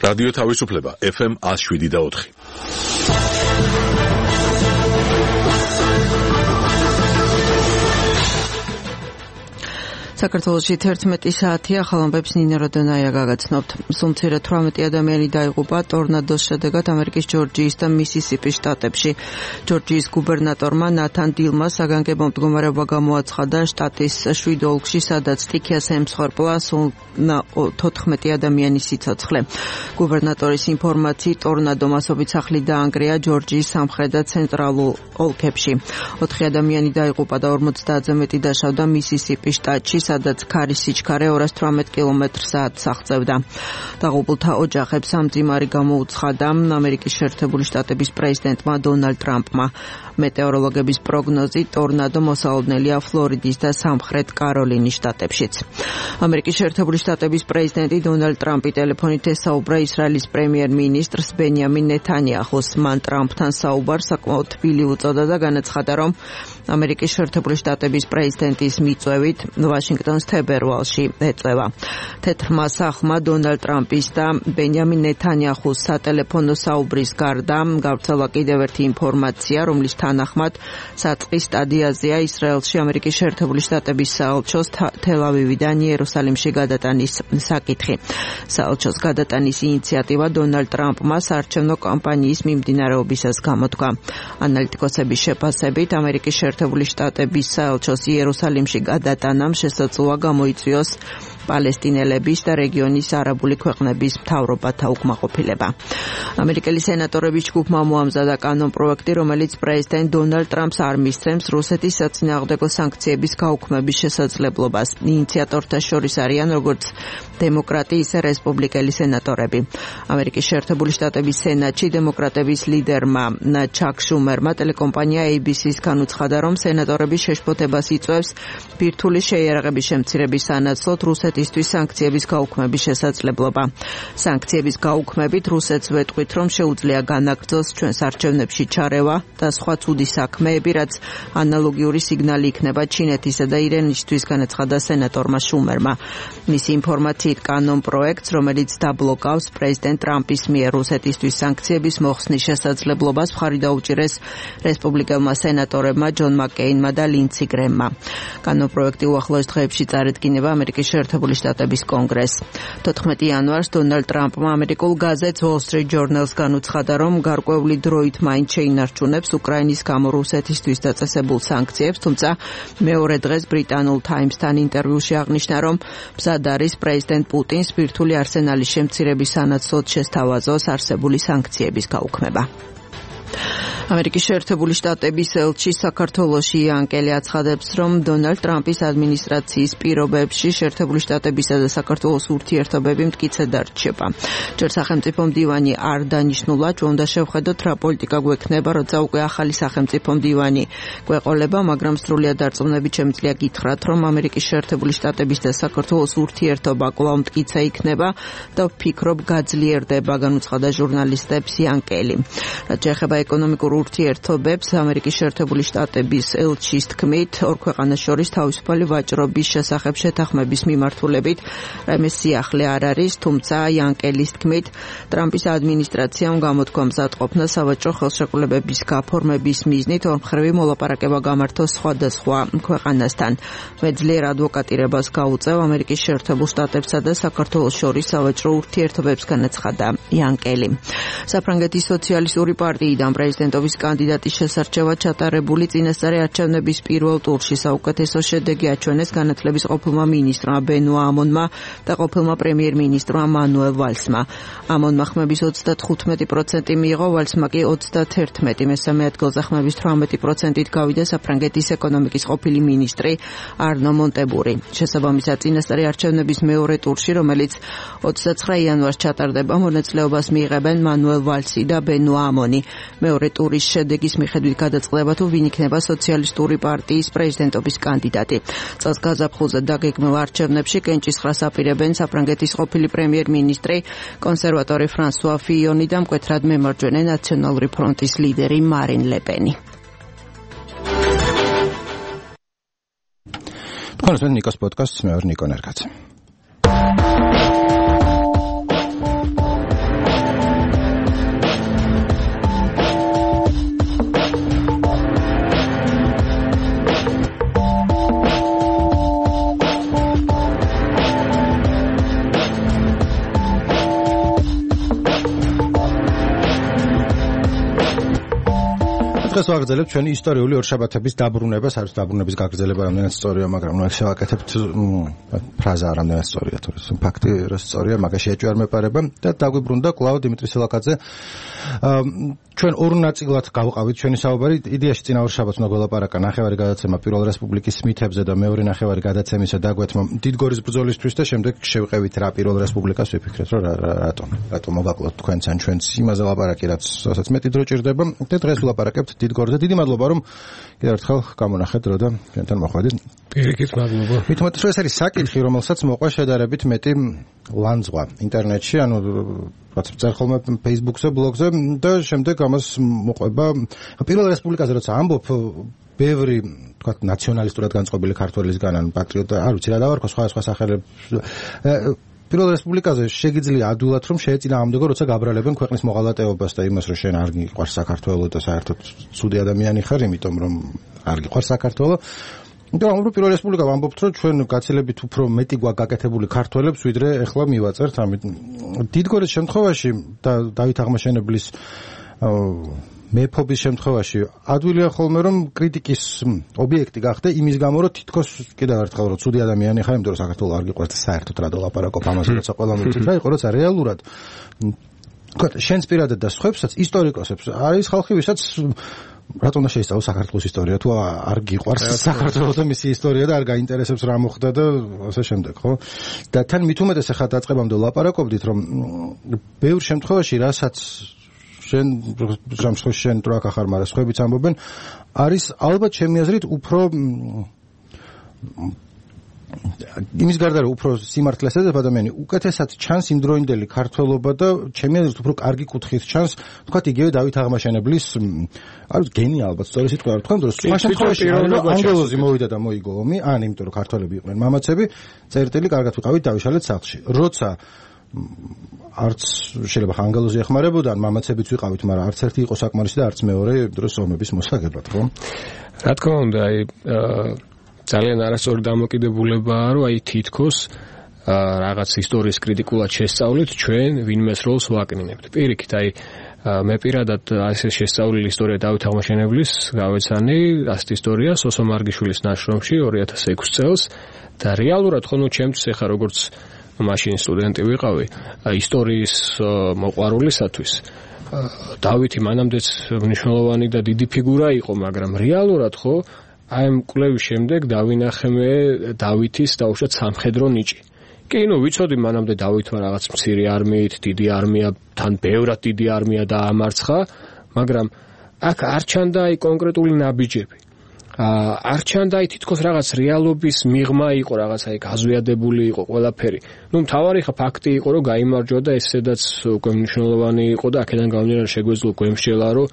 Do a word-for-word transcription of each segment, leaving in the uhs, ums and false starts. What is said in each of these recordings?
რადიო თავისუფლება ეფ ემ one oh seven და four. საქართველოში თერთმეტი საათია, ხალხებს ნინო როდონაია გაგაცნობთ. სულ თვრამეტი ადამიანი დაიღუპა ტორნადოს შედეგად ამერიკის ჯორჯიის და მისისიპის შტატებში. ჯორჯიის გუბერნატორმა ნათან დილმა საგანგებო მდგომარეობა გამოაცხადა შტატის შვიდ ოლქში, სადაც სტიქიას ემსხვერპლა სულ თოთხმეტი ადამიანის სიცოცხლე. გუბერნატორის ინფორმაციით, ტორნადო მასობით სახლი დაანგრია ჯორჯიის სამხრეთ და ცენტრალურ ოლქებში. ოთხი ადამიანი დაიღუპა და ორმოცდაათზე მეტი დაშავდა მისისიპის შტატში, სადაც ქარის სიჩქარე ორას თვრამეტ კილომეტრ საათს აღწევდა. დაღუპულთა ოჯახებს სამძიმარი გამოუცხადა ამერიკის შეერთებული შტატების პრეზიდენტმა დონალდ ტრამპმა. მეტეოროლოგების პროგნოზით ტორნადო მოსალოდნელია ფლორიდის და სამხრეთ კაროლინის შტატებშიც. ამერიკის შეერთებული შტატების პრეზიდენტი დონალდ ტრამპი ტელეფონით ესაუბრა ისრაელის პრემიერ-მინისტრს ბენიამინ ნეთანიაჰუს. მან ტრამპთან საუბარს საკმაოდ თბილი უწოდა და განაცხადა, რომ ამერიკის შეერთებული შტატების პრეზიდენტის მიწვევით ვაშინგტონს თებერვალში ეწევა. თეთრმა სახლმა დონალდ ტრამპის და ბენიამინ ნეთანიაჰუს სატელეფონო საუბრის გარდა გავრცელა კიდევ ერთი ინფორმაცია, რომლის თანახმად საწყის სტადიაზეა ისრაელში ამერიკის შეერთებული შტატების საელჩოს თელ-ავივიდან იერუსალიმში გადატანის საკითხი. საელჩოს გადატანის ინიციატივა დონალდ ტრამპმა საარჩევნო კამპანიის მიმდინარეობისას გამოთქვა. ანალიტიკოსების შეფასებით ამერიკის შეერთებული შტატების საელჩოს იერუსალიმში გადატანამ შესაძლოა გამოიწვიოს პალესტინელების და რეგიონის არაბული ქვეყნების მთავრობათა უკმაყოფილება. ამერიკელი სენატორების ჯგუფმა მოამზადა კანონპროექტი, რომელიც პრეზიდენტ დონალდ ტრამპს არ მისცემს რუსეთის საწინააღმდეგო სანქციების გაუქმების შესაძლებლობას. ინიციატორთა შორის არიან როგორც დემოკრატი, ისე რესპუბლიკელი სენატორები. ამერიკის შეერთებული შტატების სენატში დემოკრატების ლიდერმა ჩაკ შუმერმა ტელეკომპანია έი ბი სი-ს განუცხადა, რომ სენატორების შეშფოთებას იწვევს ბირთვული შეიარაღების შემცირების სანაცვლოდ რუსეთისთვის სანქციების გაუქმების შესაძლებლობა. სანქციების გაუქმებით რუსეთს ვეტყვით, რომ შეუძლია განაგრძოს ჩვენს არჩევნებში ჩარევა და სხვა ცუდი საქმეები, რაც ანალოგიური სიგნალი იქნება ჩინეთისა და ირანისთვის, განაცხადა სენატორმა შუმერმა. მისი ინფორმაციით კანონპროექტს, რომელიც დაბლოკავს პრეზიდენტ ტრამპის მიერ რუსეთისთვის სანქციების მოხსნის შესაძლებლობას, მხარი დაუჭირეს რესპუბლიკელმა სენატორებმა ჯონ მაკკეინმა და ლინდსი გრემმა. კანონპროექტი უახლოეს დღეებში წარადგინება ამერიკის შეერთებული შტატების კონგრესს. თოთხმეტი იანვარს დონალდ ტრამპმა ამერიკულ გაზეთს Wall Street Journal-ს განუცხადა, რომ გარკვეული დროით მაინც შეინარჩუნებს უკრაინის გამო რუსეთისთვის დაწესებულ სანქციებს, თუმცა მეორე დღეს ბრიტანულ Times-თან ინტერვიუში აღნიშნა, რომ მზად არის პრეზიდენტ პუტინს ბირთვული არსენალის შემცირების სანაცვლოდ შესთავაზოს არსებული სანქციების გაუქმება. ამერიკის შეერთებული შტატების ელჩი საქართველოში იანკელი აცხადებს, რომ დონალდ ტრამპის ადმინისტრაციის პირობებში შეერთებული შტატებისა და საქართველოს ურთიერთობები მტკიცედ არ რჩება. ჯერ სახელმწიფო მდივანი არ დანიშნულა, ჩვენ უნდა შევხედოთ რა პოლიტიკა გვექნება, როცა უკვე ახალი სახელმწიფო მდივანი გვეყოლება, მაგრამ სრულიად დარწმუნებით შემიძლია გითხრათ, რომ ამერიკის შეერთებული შტატების და საქართველოს ურთიერთობა კვლავ მტკიცე იქნება და ვფიქრობ გაძლიერდება, განუცხადა ჟურნალისტებს იანკელი. რაც შეეხება ეკონომიკურ ურთიერთობებს, ამერიკის შეერთებული შტატების ელჩის თქმით, ორ ქვეყანას შორის თავისუფალი ვაჭრობის შესახებ შეთანხმების მიმართულებით რაიმე სიახლე არ არის, თუმცა იანკელის თქმით, ტრამპის ადმინისტრაციამ გამოთქვა მზადყოფნა სავაჭრო ხელშეკრულებების გაფორმების მიზნით ორმხრივი მოლაპარაკება გამართოს სხვადასხვა ქვეყანასთან. მე ძლიერ ადვოკატირებას გაუწევ ამერიკის შეერთებულ შტატებსა და საქართველოს შორის სავაჭრო ურთიერთობებს, განაცხადა იანკელი. საფრანგეთის სოციალისტური პარტიიდან პრეზიდენტობის კანდიდატის შესარჩევად ჩატარებული წინასწარი არჩევნების პირველ ტურში საუკეთესო შედეგი აჩვენეს განათლების ყოფილმა მინისტრმა ბენუა ამონმა და ყოფილმა პრემიერ-მინისტრმა მანუელ ვალსმა. ამონმა ხმების ოცდათხუთმეტი პროცენტი მიიღო, ვალსმა კი ოცდაათერთმეტი. მესამე ადგილზე ხმების თვრამეტი პროცენტით გავიდა საფრანგეთის ეკონომიკის ყოფილი მინისტრი არნო მონტებური. შესაბამისად, წინასწარი არჩევნების მეორე ტურში, რომელიც ოცდაცხრა იანვარს ჩატარდება, მონაწილეობას მიიღებენ მანუელ ვალსი და ბენუა ამონი. მეორე ტურის შედეგის მიხედვით გადაწყდება, თუ ვინ იქნება სოციალისტური პარტიის პრეზიდენტობის კანდიდატი. წელს გაზაფხულზე დაგეგმილ არჩევნებში კენჭისყრას აპირებენ საფრანგეთის ყოფილი პრემიერ-მინისტრი კონსერვატორი ფრანსუა ფიიონი და მკვეთრად მემარჯვენე ნაციონალური ფრონტის ლიდერი მარინ ლე-პენი. თქვენ ნიკოს პოდკასტს, მე ვარ ნიკო ნერგაძე. დღეს ვაგრძელებთ ჩვენი ისტორიული ორშაბათების დაბრუნებას, არის დაბრუნების გაგრძელება რამდენად სწორია, მაგრამ ნუ შევაკეთებთ ფრაზა რამდენად სწორია, თორე ფაქტი რა სწორია, მაგაში ეჭვი არ მეპარება და დაგვიბრუნდა კვლავ დიმიტრი სილაკაძე. ჩვენ ორ ნაწილად გავყავით ჩვენი საუბარი. იდეაში წინა ორშაბათს უნდა გველაპარაკა ნახევარი გადაცემა პირველ რესპუბლიკის მითებზე და მეორე ნახევარი გადაცემისა დაგვეთმა დიდგორის ბრძოლისთვის და შემდეგ შევყევით რა პირველ რესპუბლიკას ვიფიქრეთ, რომ რატომ რატომ მოგაკლოთ თქვენც ან ჩვენც იმაზე ლაპარაკი, რაც რასაც მეტი დრო ჭირდება და დღეს ვლაპარაკებთ დიდგორზე. დიდი მადლობა რომ კიდევ ერთხელ გამონახეთ დრო და ჩვენთან მოხვედით. პირიქით მადლობა. მithumetes რომ ეს არის საკითხი, რომელსაც მოყვა შედარებით მეტი ლანძღვა ინტერნეტში, ანუ რაც წერს ხოლმე Facebook-ზე, ბლოგზე და შემდეგ ამას მოყვება პირველ რესპუბლიკაზე როცა ამბობ ბევრი თქვა ნაციონალისტურად განწყობილი ქართველისგან ან პატრიოტ არ ვიცი რა დავარქვა სხვა სხვა სახელებს პირველ რესპუბლიკაზე შეგიძლია ადვილად რომ შეეწინააღმდეგო როცა გაბრალებენ ქვეყნის მოღალატეობას და იმას რომ შენ არ გიყვარს საქართველო და საერთოდ ცუდი ადამიანი ხარ იმიტომ რომ არ გიყვარს საქართველო და ამბობ პირველ რესპუბლიკა ვამბობთ რომ ჩვენ გაცილებით უფრო მეტი გვაქვს გაკეთებული ქართველებს ვიდრე ეხლა მივაწერთ ამით დიდგორის შემთხვევაში და დავით აღმაშენებლის მეფობის შემთხვევაში ადვილია ხოლმე რომ კრიტიკის ობიექტი გახდე იმის გამო რომ თითქოს კიდევ ერთხელ რომ ცუდი ადამიანი ხარ იმიტომ რომ საქართველოს არ გიყვარს და საერთოდ რა დოლაპარაკობ ამაზე როცა ყველა მიცით რა იყო როცა რეალურად თქვა შენს პირადად და სხვებსაც ისტორიკოსებს არის ხალხი ვისაც რატომ უნდა შეისწავლოს საქართველოს ისტორია თუ არ გიყვარს საქართველოს და მისი ისტორია და არ გაინტერესებს რა მოხდა და ასე შემდეგ ხო და თან მithumetes ახლა დაწყებამდე ლაპარაკობდით რომ ბევრ შემთხვევაში რასაც შენ სამშობლოში შენ ტრაკ ახარ მაგრამ სხვაებიც ამბობენ არის ალბათ ჩემი აზრით უფრო იმის გარდა რომ უფრო სიმართლეს ეძებ ადამიანი უკეთესად ჩანს იმდროინდელი ქართველობა და ჩემი აზრით უფრო კარგი კუთხით ჩანს თქვათ იგივე დავით აღმაშენებლის არის გენი ალბათ სწორი სიტყვა არ თქვენ რომ სხვა შემთხვევაში ანგელოზი მოვიდა და მოიგო ომი ან იმიტომ რომ ქართველები იყვნენ მამაცები წერტილი კარგად ვიყავით დავიშალეთ სახლში როცა არც შეიძლება ანგელოზი ეხმარებოდა ან მამაცებიც ვიყავით მაგრამ არც ერთი იყო საკმარისი და არც მეორე დროს ომების მოსაგებად ხო რა თქმა უნდა აი ძალიან არასწორი დამოკიდებულებაა რომ აი თითქოს რაღაც ისტორიის კრიტიკულად შესწავლით ჩვენ ვინმეს როლს ვაკნინებთ პირიქით აი მე პირადად ასე შესწავლილი ისტორია დავით აღმაშენებლის გავეცანი ასეთ ისტორია სოსო მარგიშვილის ნაშრომში ორი ათას ექვსი წელს და რეალურად ხო ნუ ჩემთვის ეხა როგორც მაშინ სტუდენტი ვიყავი ისტორიის მოყვარულისათვის დავითი მანამდეც მნიშვნელოვანი და დიდი ფიგურა იყო მაგრამ რეალურად ხო აი ამ კვლევის შემდეგ დავინახე მე დავითის დაუშვათ სამხედრო ნიჭი კი ნუ ვიცოდი მანამდე დავითმა რაღაც მცირე არმიით დიდი არმია თან ბევრად დიდი არმია დაამარცხა მაგრამ აქ არ ჩანდა აი კონკრეტული ნაბიჯები არ ჩანდა აი თითქოს რაღაც რეალობის მიღმა იყო რაღაც აი გაზვიადებული იყო ყველაფერი ნუ მთავარი ხა ფაქტი იყო რომ გაიმარჯვა და ესედაც უკვე მნიშვნელოვანი იყო და აქედან გამომდინარე შეგვეძლო გვემსჯელა რომ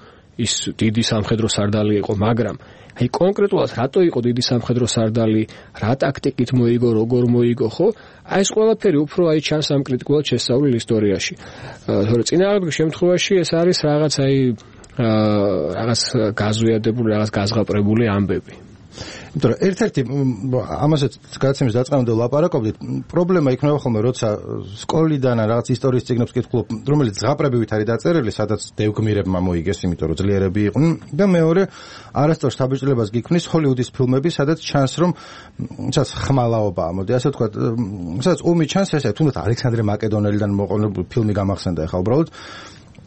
ის დიდი სამხედრო სარდალი იყო მაგრამ აი კონკრეტულად რატო იყო დიდი სამხედრო სარდალი რა ტაქტიკით მოიგო როგორ მოიგო ხო აი ეს ყველაფერი უფრო აი ჩანს ამ კრიტიკულად შესწავლილ ისტორიაში თორე წინააღმდეგ შემთხვევაში ეს არის რაღაც აი რაღაც გაზვიადებული რაღაც გაზღაპრებული ამბები იმიტომ რომ ერთ-ერთი ამასაც გადაცემის დაწყებამდე ვლაპარაკობდით პრობლემა იქნება ხოლმე როცა სკოლიდან რაღაც ისტორიის წიგნებს კითხულობ რომელიც ზღაპრებივით არის დაწერილი სადაც დევგმირებმა მოიგეს იმიტომ რომ ძლიერები იყვნენ და მეორე არასწორ შთაბეჭდილებას გიქმნის ჰოლივუდის ფილმები სადაც ჩანს რომ სადაც ხმალაობაა მოდი ასე ვთქვათ სადაც ომი ჩანს ესე თუნდაც ალექსანდრე მაკედონელიდან მოყოლებული ფილმი გამახსენდა ახლა უბრალოდ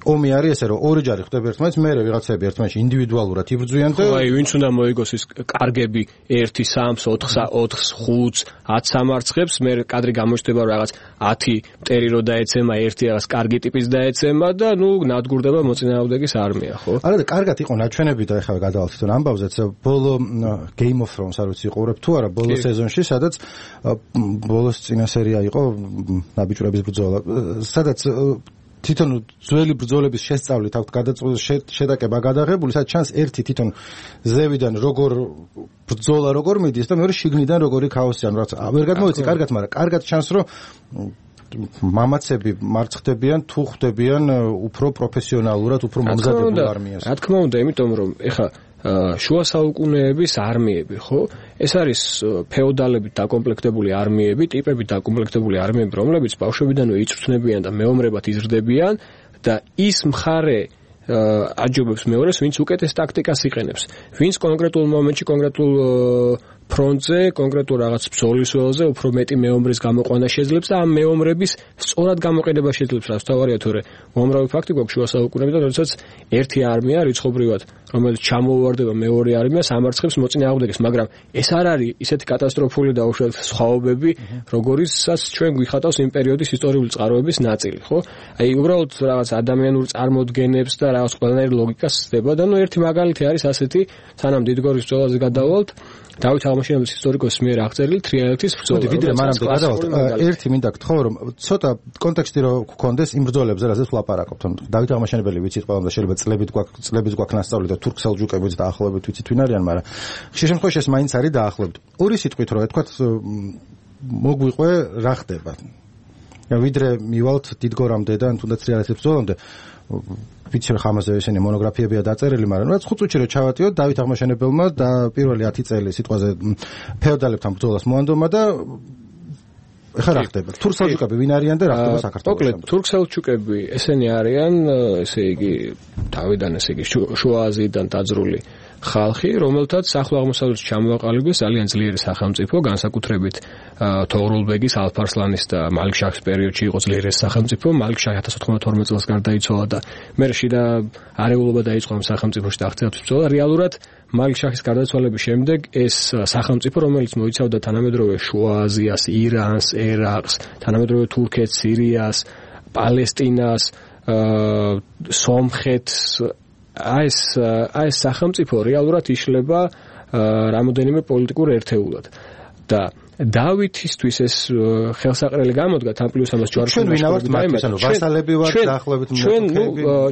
ომი არის ესე რომ ორი ჯარი ხდება ერთმანეთს მერე ვიღაცები ერთმანეთში ინდივიდუალურად იბრძვიან და აი ვინც უნდა მოიგოს ის კარგები ერთი სამს ოთხს ოთხს ხუთს ათ სამარცხებს მე კადრი გამოჩნდება რაღაც ათი მტერი რო დაეცემა ერთი რაღაც კარგი ტიპის დაეცემა და ნუ ნადგურდება მოწინააღმდეგის არმია ხო არა და კარგად იყო ნაჩვენები და ეხლა გადავალთ თვითონ ამბავზეც ბოლო Game of Thrones არ ვიცი ყურებ თუ არა ბოლო სეზონში სადაც ბოლოს წინა სერია იყო ნაბიჯურების ბრძოლა სადაც თვითონ ძველი ბრძოლების შესწავლით აქვს გადაწყვეტილი შედაკება გადაღებული, სადაც ჩანს ერთი თვითონ ზევიდან როგორ ბრძოლა როგორ მიდის და მეორე შიგნიდან როგორი ქაოსი ან რაც ვერ გადმოვიცი კარგად, მაგრამ კარგად ჩანს რომ მამაცები მარცხდებიან თუ ხვდებიან უფრო პროფესიონალურად, უფრო მომზადებულ არმიას. რა თქმა უნდა, იმიტომ რომ ეხა შუა საუკუნეების არმიები, ხო? ეს არის ფეოდალებით დაკომპლექტებული არმიები, ტიპებით დაკომპლექტებული არმიები, რომლებიც ბავშვებიდანვე იწვრთნებიან და მეომრებად იზრდებიან და ის მხარე აჯობებს მეორეს, ვინც უკეთეს ტაქტიკას იყენებს, ვინც კონკრეტულ მომენტში კონკრეტულ ფრონტზე, კონკრეტულ რაღაც ბრძოლის ველზე უფრო მეტი მეომრის გამოყვანა შეძლებს და ამ მეომრების სწორად გამოყენება შეძლებს, რაც თავარია თორე უამრავი ფაქტი გვაქვს შუა საუკუნეებიდან, როდესაც ერთი არმია რიცხობრივად, რომელიც ჩამოუვარდება მეორე არმიას, ამარცხებს მოწინააღმდეგეს, მაგრამ ეს არ არის ისეთი კატასტროფული და უშუალოდ სხვაობები, როგორიცაც ჩვენ გვიხატავს იმ პერიოდის ისტორიული წყაროების ნაწილი, ხო? აი უბრალოდ რაღაც ადამიანურ წარმოდგენებს და რაღაც ყველანაირ ლოგიკას ცდება და ნუ ერთი მაგალითი არის ასეთი, სანამ დიდგორის ბრძოლაზე გადავალთ, დავით აღმაშენებლის ისტორიკოსის მიერ აღწერილი თრიალეთის ბრძოლა. ვიდრე მანამდე გადავალთ, ერთი მინდა გთხოვ, რომ ცოტა კონტექსტი რო გქონდეს იმ ბრძოლებზე, რაზეც ვლაპარაკობთ. అందరు აღმაშენებელი ვიცით ყველამ და შეიძლება წლებით გვაქვს წლებით გვაქვს ნასწავლი და თურქ-სელჯუკებიც დაახლოებით ვიცით ვინ არიან, მაგრამ ხშირ შემთხვევაში ეს მაინც არის დაახლოებით. ორი სიტყვით რო თქვათ მოგვიყვე რა ხდება. ვიდრე მივალთ დიდგორამდე და თუნდაც თრიალეთის ბრძოლამდე ვიცი რომ ხამაზე ესენი მონოგრაფიებია დაწერილი, მაგრამ რაც ხუთ წუთში რო ჩავატიოთ დავით აღმაშენებელმა და პირველი ათი წელი სიტყვაზე ფეოდალებთან ბრძოლას მოანდომა და ეხლა რა ხდება? თურქ-სელჯუკები ვინ არიან და რა ხდება საქართველოში? მოკლედ, თურქ-სელჯუკები ესენი არიან, ესე იგი, თავიდან ესე იგი შუა აზიიდან დაძრული ხალხი, რომელთაც ახლო აღმოსავლეთში ჩამოაყალიბეს ძალიან ძლიერი სახელმწიფო, განსაკუთრებით თოღრულბეგის, ალფ-არსლანის და მალიქ-შაჰის პერიოდში იყო ძლიერი სახელმწიფო. მალიქ-შაჰი ათას ოთხმოცდაათი წელს გარდაიცვალა და მერე შიდა არეულობა დაიწყო ამ სახელმწიფოში და აღწევთ ბრძოლა. რეალურად მალიქ-შაჰის გარდაცვალების შემდეგ ეს სახელმწიფო, რომელიც მოიცავდა თანამედროვე შუა აზიას, ირანს, ერაყს, თანამედროვე თურქეთს, სირიას, პალესტინას, სომხეთს, აი ეს აი ეს სახელმწიფო რეალურად იშლება რამოდენიმე პოლიტიკურ ერთეულად და დავითისთვის ეს ხელსაყრელი გამოდგა თან პლუს ამას ჯვაროსნების ვასალები ვართ დაახლოებით ჩვენ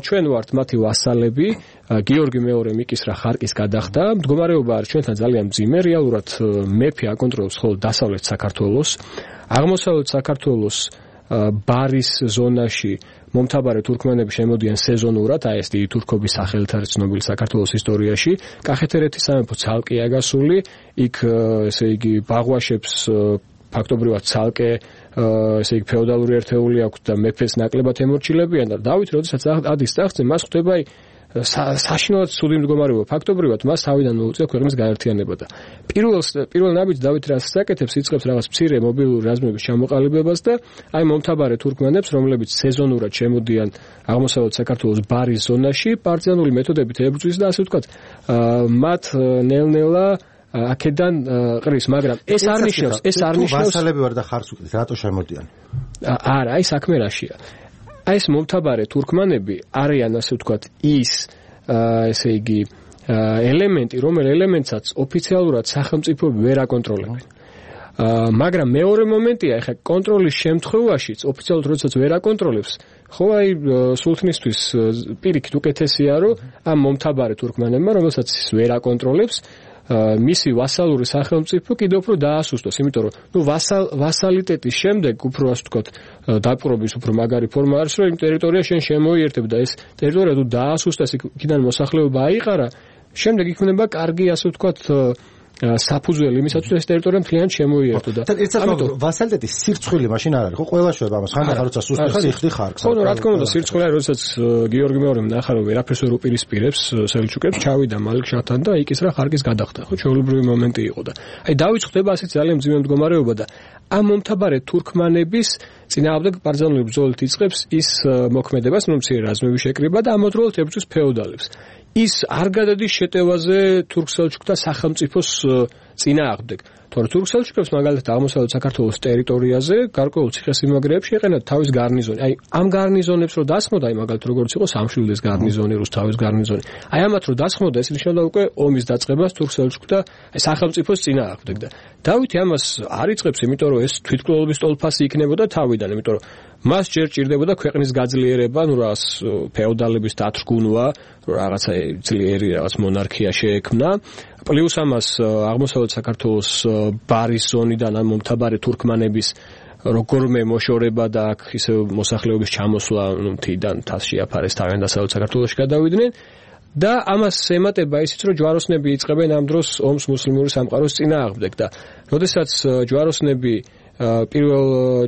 ჩვენ ვართ მათი ვასალები. გიორგი მეორე მიკისრა ხარკის გადახდა. მდგომარეობა არის ჩვენთან ძალიან მძიმე. რეალურად მეფე აკონტროლებს მხოლოდ დასავლეთ საქართველოს, აღმოსავლეთ საქართველოს ბარის ზონაში მომთაბარე თურქმენები შემოდიან სეზონურად, აი ეს დიდი თურქობის სახელით არის ცნობილი საქართველოს ისტორიაში. კახეთ-ერეთის სამეფო ცალკეა გასული, იქ ესე იგი ბაღვაშებს ფაქტობრივად ცალკე ესე იგი ფეოდალური ერთეული აქვს და მეფეს ნაკლებად ემორჩილებიან და დავით როდესაც ადის ტახტზე, მას ხვდება აი საშინელად ცუდი მდგომარეობა. ფაქტობრივად მას თავიდან მოუწია ქვეყნის გაერთიანება და პირველ პირველ ნაბიჯს დავით რასაც აკეთებს, იწყებს რაღაც მცირე მობილური რაზმების ჩამოყალიბებას და აი მომთაბარე თურქმენებს, რომლებიც სეზონურად შემოდიან აღმოსავლეთ საქართველოს ბარის ზონაში, პარტიზანული მეთოდებით ებრძვის და ასე ვთქვათ, მათ ნელ-ნელა აქედან ყრის, მაგრამ ეს არ ნიშნავს, ეს არ ნიშნავს ვასალები ვარ და ხარს უკეთ, რატო შემოდიან? არა, აი საქმე რაშია. აი ეს მომთაბარე თურქმანები არიან ასე ვთქვათ ის ესე იგი ელემენტი, რომელ ელემენტსაც ოფიციალურად სახელმწიფოები ვერ აკონტროლებენ. მაგრამ მეორე მომენტია, ეხლა კონტროლის შემთხვევაშიც ოფიციალურად როდესაც ვერ აკონტროლებს, ხო აი სულთნისთვის პირიქით უკეთესია, რომ ამ მომთაბარე თურქმანებმა, რომელსაც ის ვერ აკონტროლებს, მისი ვასალური სახელმწიფო კიდევ უფრო დაასუსტოს, იმიტომ რომ ნუ ვასალ ვასალიტეტის შემდეგ უფრო ასე ვთქვათ დაპყრობის უფრო მაგარი ფორმა არის, რომ იმ ტერიტორიას შენ შემოიერთებ და ეს ტერიტორია თუ დაასუსტეს, იქიდან მოსახლეობა აიყარა, შემდეგ იქნება კარგი ასე ვთქვათ საფუძველი იმისათვის ეს ტერიტორია მთლიანად შემოიერთო და ამიტომ ვასალიტეტის სირცხვილი მაშინ არ არის, ხო ყველა შვება ამას, ხან ხარ როცა სუსტი სიხდი ხარ. ხო, რა თქმა უნდა, სირცხვილი არის, როდესაც გიორგი მეორემ ნახა რომ ვერაფერს ვერ უპირისპირებს სელჩუკებს, ჩავიდა მალიქ-შაჰთან და იქ ის რა ხარკის გადახდა, ხო, ჩვეულებრივი მომენტი იყო და აი დავით ხდება ასეთ ძალიან მძიმე მდგომარეობა და ამ მომთაბარე თურქმანების წინააღმდეგ პარტიზანული ბრძოლით იწყებს ის მოქმედებას, რომ მცირე რაზმები შეკრიბა და ამავდროულად ებრძვის ფეოდალებს. ის არ გადადის შეტევაზე თურქ-სელჩუკთა სახელმწიფოს წინააღმდეგ. თორე თურქ-სელჩუკებს მაგალითად აღმოსავლეთ საქართველოს ტერიტორიაზე გარკვეულ ციხესიმაგრეებში ეყენათ თავის გარნიზონი. აი ამ გარნიზონებს რო დასხმოდა, აი მაგალითად როგორც იყო სამშვილდის გარნიზონი, რუსთავის გარნიზონი. აი ამათ რო დასხმოდა, ეს ნიშნავდა უკვე ომის დაწყებას თურქ-სელჩუკთა სახელმწიფოს წინააღმდეგ და დავითი ამას არ იწყებს, იმიტომ რომ ეს თვითმკვლელობის ტოლფასი იქნებოდა თავიდან, იმიტომ რომ მას ჯერ ჭირდებოდა ქვეყნის გაძლიერება, ნუ რაღაც ფეოდალების დათრგუნვა, რაღაცა ძლიერი რაღაც მონარქია შეექმნა. პლუს ამას აღმოსავლეთ საქართველოს ბარის ზონიდან ამ მომთაბარე თურქმანების როგორმე მოშორება და აქ ისე მოსახლეობის ჩამოსვლა, ნუ მთიდან თასში აფარეს თავიდან დასავლეთ საქართველოში გადავიდნენ და ამას ემატება ისიც, რომ ჯვაროსნები იწყებენ ამ დროს ომს მუსლიმური სამყაროს წინააღმდეგ და როდესაც ჯვაროსნები პირველ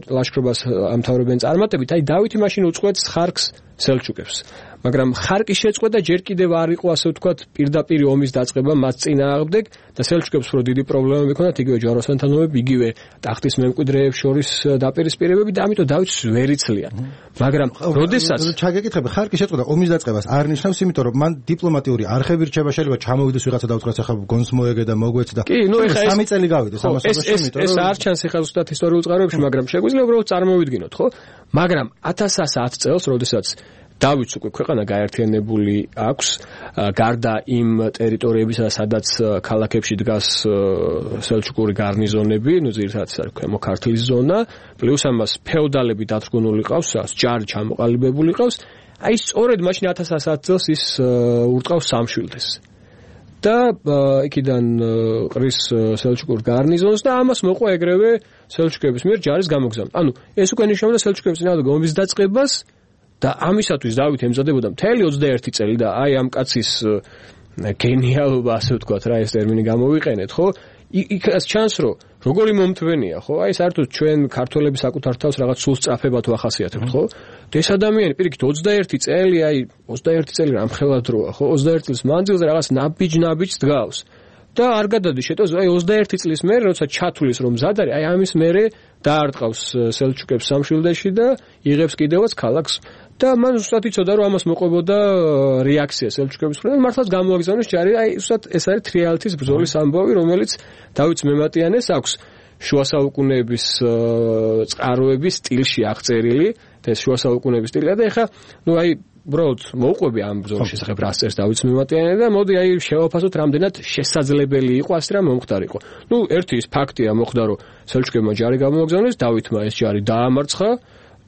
ლაშქრობას ამთავრებენ წარმატებით, აი დავითი მაშინ უწყვეტს ხარკს სელჩუკებს. მაგრამ ხარკი შეწყვეტა ჯერ კიდევ არ იყო ასე ვთქვათ პირდაპირ ომის დაწყება მათ წინააღმდეგ და სელჩუკებს რო დიდი პრობლემები ჰქონდათ იგივე ჯვაროსანთანოები, იგივე ტახტის მემკვიდრეებს შორის დაპირისპირებები და ამიტომ დავითს ვერ იცლიან. მაგრამ როდესაც ჩაგეკითხები ხარკი შეწყვეტა ომის დაწყებას არ ნიშნავს, იმიტომ რომ მან დიპლომატიური არხები რჩება, შეიძლება ჩამოვიდეს ვიღაცა და უთხრას ახლა გონს მოეგე და მოგვეც და კი, ნუ ეხა სამი წელი გავიდეს ამასობაში, იმიტომ რომ ეს არ ჩანს ეხლა ზუსტად ისტორიულ წყაროებში, მაგრამ შეგვიძლია უბრალოდ წარმოვიდგინოთ, ხო? მაგრამ ათას ათს წელს, როდესაც დავითს უკვე ქვეყანა გაერთიანებული აქვს, გარდა იმ ტერიტორიებისა, სადაც ქალაქებში დგას სელჩუკური გარნიზონები, ნუ ძირითადად არის ქვემო ქართლის ზონა, პლუს ამას ფეოდალები დათრგუნული ყავს, ჯარი ჩამოყალიბებული ყავს. აი სწორედ მაშინ ათას ათს წელს ის ურტყავს სამშვილდეს. და იქიდან ყრის სელჩუკურ გარნიზონს და ამას მოყვა ეგრევე სელჩუკების მიერ ჯარის გამოგზავნა. ანუ ეს უკვე ნიშნავდა სელჩუკების წინააღმდეგ ომის დაწყებას და ამისათვის დავით ემზადებოდა მთელი ოცდაერთი წელი და აი ამ კაცის გენიალობა ასე ვთქვათ რა ეს ტერმინი გამოვიყენეთ, ხო? იქაც ჩანს რომ როგორი მომთვენია, ხო? აი საერთოდ ჩვენ ქართველები საკუთარ თავს რაღაც სულ სწრაფებად ვახასიათებთ, ხო? და ეს ადამიანი პირიქით ოცდაერთი წელი, აი ოცდაერთი წელი რამხელა დროა, ხო? ოცდაერთი წლის მანძილზე რაღაც ნაბიჯ-ნაბიჯს დგავს. და არ გადადის შეტოს, აი ოცდაერთი წლის მერე, როცა ჩათulis რომ მზად არის, აი ამის მერე დაარტყავს სელჩუკებს სამშვილდეში და იღებს კიდევაც ქალაქს. და მან ზუსტად იცოდა რომ ამას მოყვებოდა რეაქცია სელჩუკების მხრიდან, მართლაც გამოაგზავნეს ჯარი, აი ზუსტად ეს არის თრიალეთის ბრძოლის ამბავი, რომელიც დავითს მემატიანეს აქვს შუა საუკუნეების წყაროების სტილში აღწერილი და ეს შუა საუკუნეების სტილია და ეხა ნუ აი უბრალოდ მოუყვები ამ ბრძოლის შესახებ რას წერს დავითს მემატიანე და მოდი აი შევაფასოთ რამდენად შესაძლებელი იყო ასე რა მომხდარიყო. ნუ ერთი ის ფაქტია მოხდა რომ სელჩუკებმა ჯარი გამოაგზავნეს, დავითმა ეს ჯარი დაამარცხა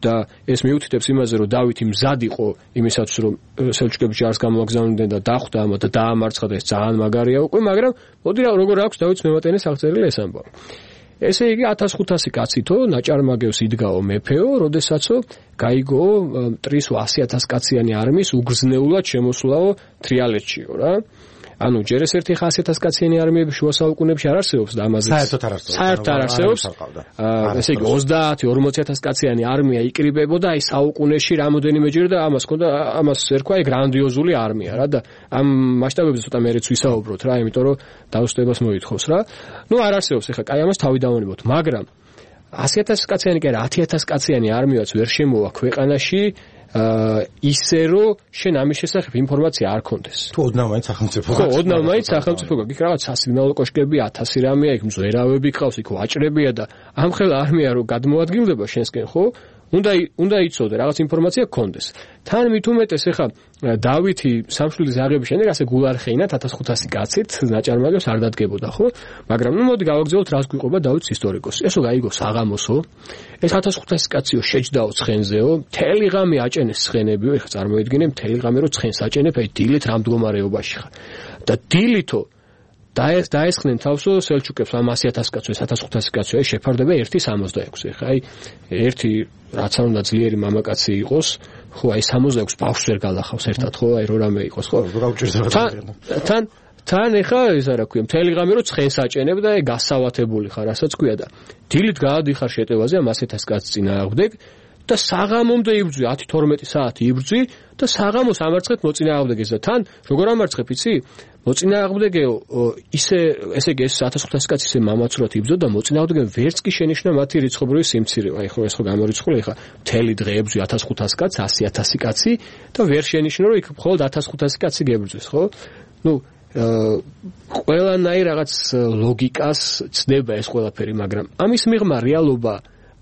და ეს მიუთითებს იმაზე, რომ დავითი მზად იყო იმისათვის, რომ სელჩუკების ჯარს გამოაგზავნდნენ და დახვდა ამა და დაამარცხა და ეს ძალიან მაგარია უკვე, მაგრამ მოდი რა როგორ აქვს დავითს მემატიანეს აღწერილი ეს ამბავი. ესე იგი ათას ხუთასი კაცითო ნაჭარმაგევს იდგაო მეფეო, როდესაცო გაიგო მტრისო ასი ათას კაციანი არმიის უგრძნეულად შემოსვლაო თრიალეთშიო რა. ანუ ჯერ ეს ერთი ასი ათას კაციანი არმიები შუა საუკუნეებში არ არსებობს და ამაზე საერთოდ არ არსებობს. საერთოდ არ არსებობს. ესე იგი ოცდაათი ორმოცი ათას კაციანი არმია იკრიბებოდა აი საუკუნეში რამოდენიმეჯერ და ამას ჰქონდა ამას ერქვა აი გრანდიოზული არმია რა და ამ მასშტაბებზე ცოტა მერეც ვისაუბროთ რა, იმიტომ რომ დაუსტებას მოითხოვს რა. ნუ არ არსებობს ეხლა კაი ამას თავი დავანებოთ, მაგრამ ასი ათას კაციანი კი არა ათი ათას კაციანი არმიაც ვერ შემოვა ქვეყანაში აა ისე რომ შენ ამის შესახებ ინფორმაცია არ კონდეს. თუ ოდნავ მაინც სახელმწიფო. ხო, ოდნავ მაინც სახელმწიფო გაქვს. იქ რაღაც სასიგნალო კოშკები ათასი რამეა, იქ მზვერავები ყავს, იქ ვაჭრებია და ამხელა არმია რომ გადმოადგილდება შენსკენ, ხო? უნდა უნდა იცოდე რაღაც ინფორმაცია კონდეს. თან მით უმეტეს ეხა დავითი სამშვილდის აღების შემდეგ ასე გულარხეინად ათას ხუთასი კაცით ნაჭარმაგევს არ დადგებოდა, ხო? მაგრამ ნუ მოდი გავაგზავნოთ რას გვიყვება დავითის ისტორიკოსი. ესო გაიგო საღამოსო. ეს ათას ხუთასი კაციო შეჯდაო ცხენზეო, მთელი ღამე აჭენეს ცხენებიო, ეხა წარმოიდგინე მთელი ღამე რომ ცხენს აჭენებ, აი დილით რამ მდგომარეობაში ხარ. და დილითო დაეს დაესხნენ თავსო სელჩუკებს ამ ასი ათას კაცო, ეს ათას ხუთასი კაცო, აი შეფარდება ერთი სამოცდაექვსი. ეხა აი ერთი რაც არ უნდა ძლიერი მამაკაცი იყოს, ხო, აი სამოცდაექვსი ბავშვს ვერ გალახავს ერთად, ხო, აი რო რამე იყოს, ხო? თან თან ეხა ეს არა ქვია, მთელი ღამე რო ცხენს აჭენებ და აი გასავათებული ხარ, რასაც ქვია და დილით გაადიხარ შეტევაზე ამ ასი ათას კაცს წინააღმდეგ და საღამომდე იბრძვი ათი თორმეტი საათი იბრძვი და საღამოს ამარცხეთ მოწინააღმდეგეს და თან როგორ ამარცხებ იცი? მოწინააღმდეგეო ისე ესე იგი ეს ათას ხუთასი კაცი ისე მამაცურად იბრძოდა და მოწინააღმდეგე ვერც კი შენიშნა მათი რიცხობრივი სიმცირე. აი ხო ეს ხო გამორიცხული ეხა მთელი დღე ებრძვი ათას ხუთასი კაცს, ასი ათასი კაცი და ვერ შენიშნა რომ იქ მხოლოდ ათას ხუთასი კაცი გებრძვის, ხო? ნუ ყველანაირ რაღაც ლოგიკას ცდება ეს ყველაფერი, მაგრამ ამის მიღმა რეალობა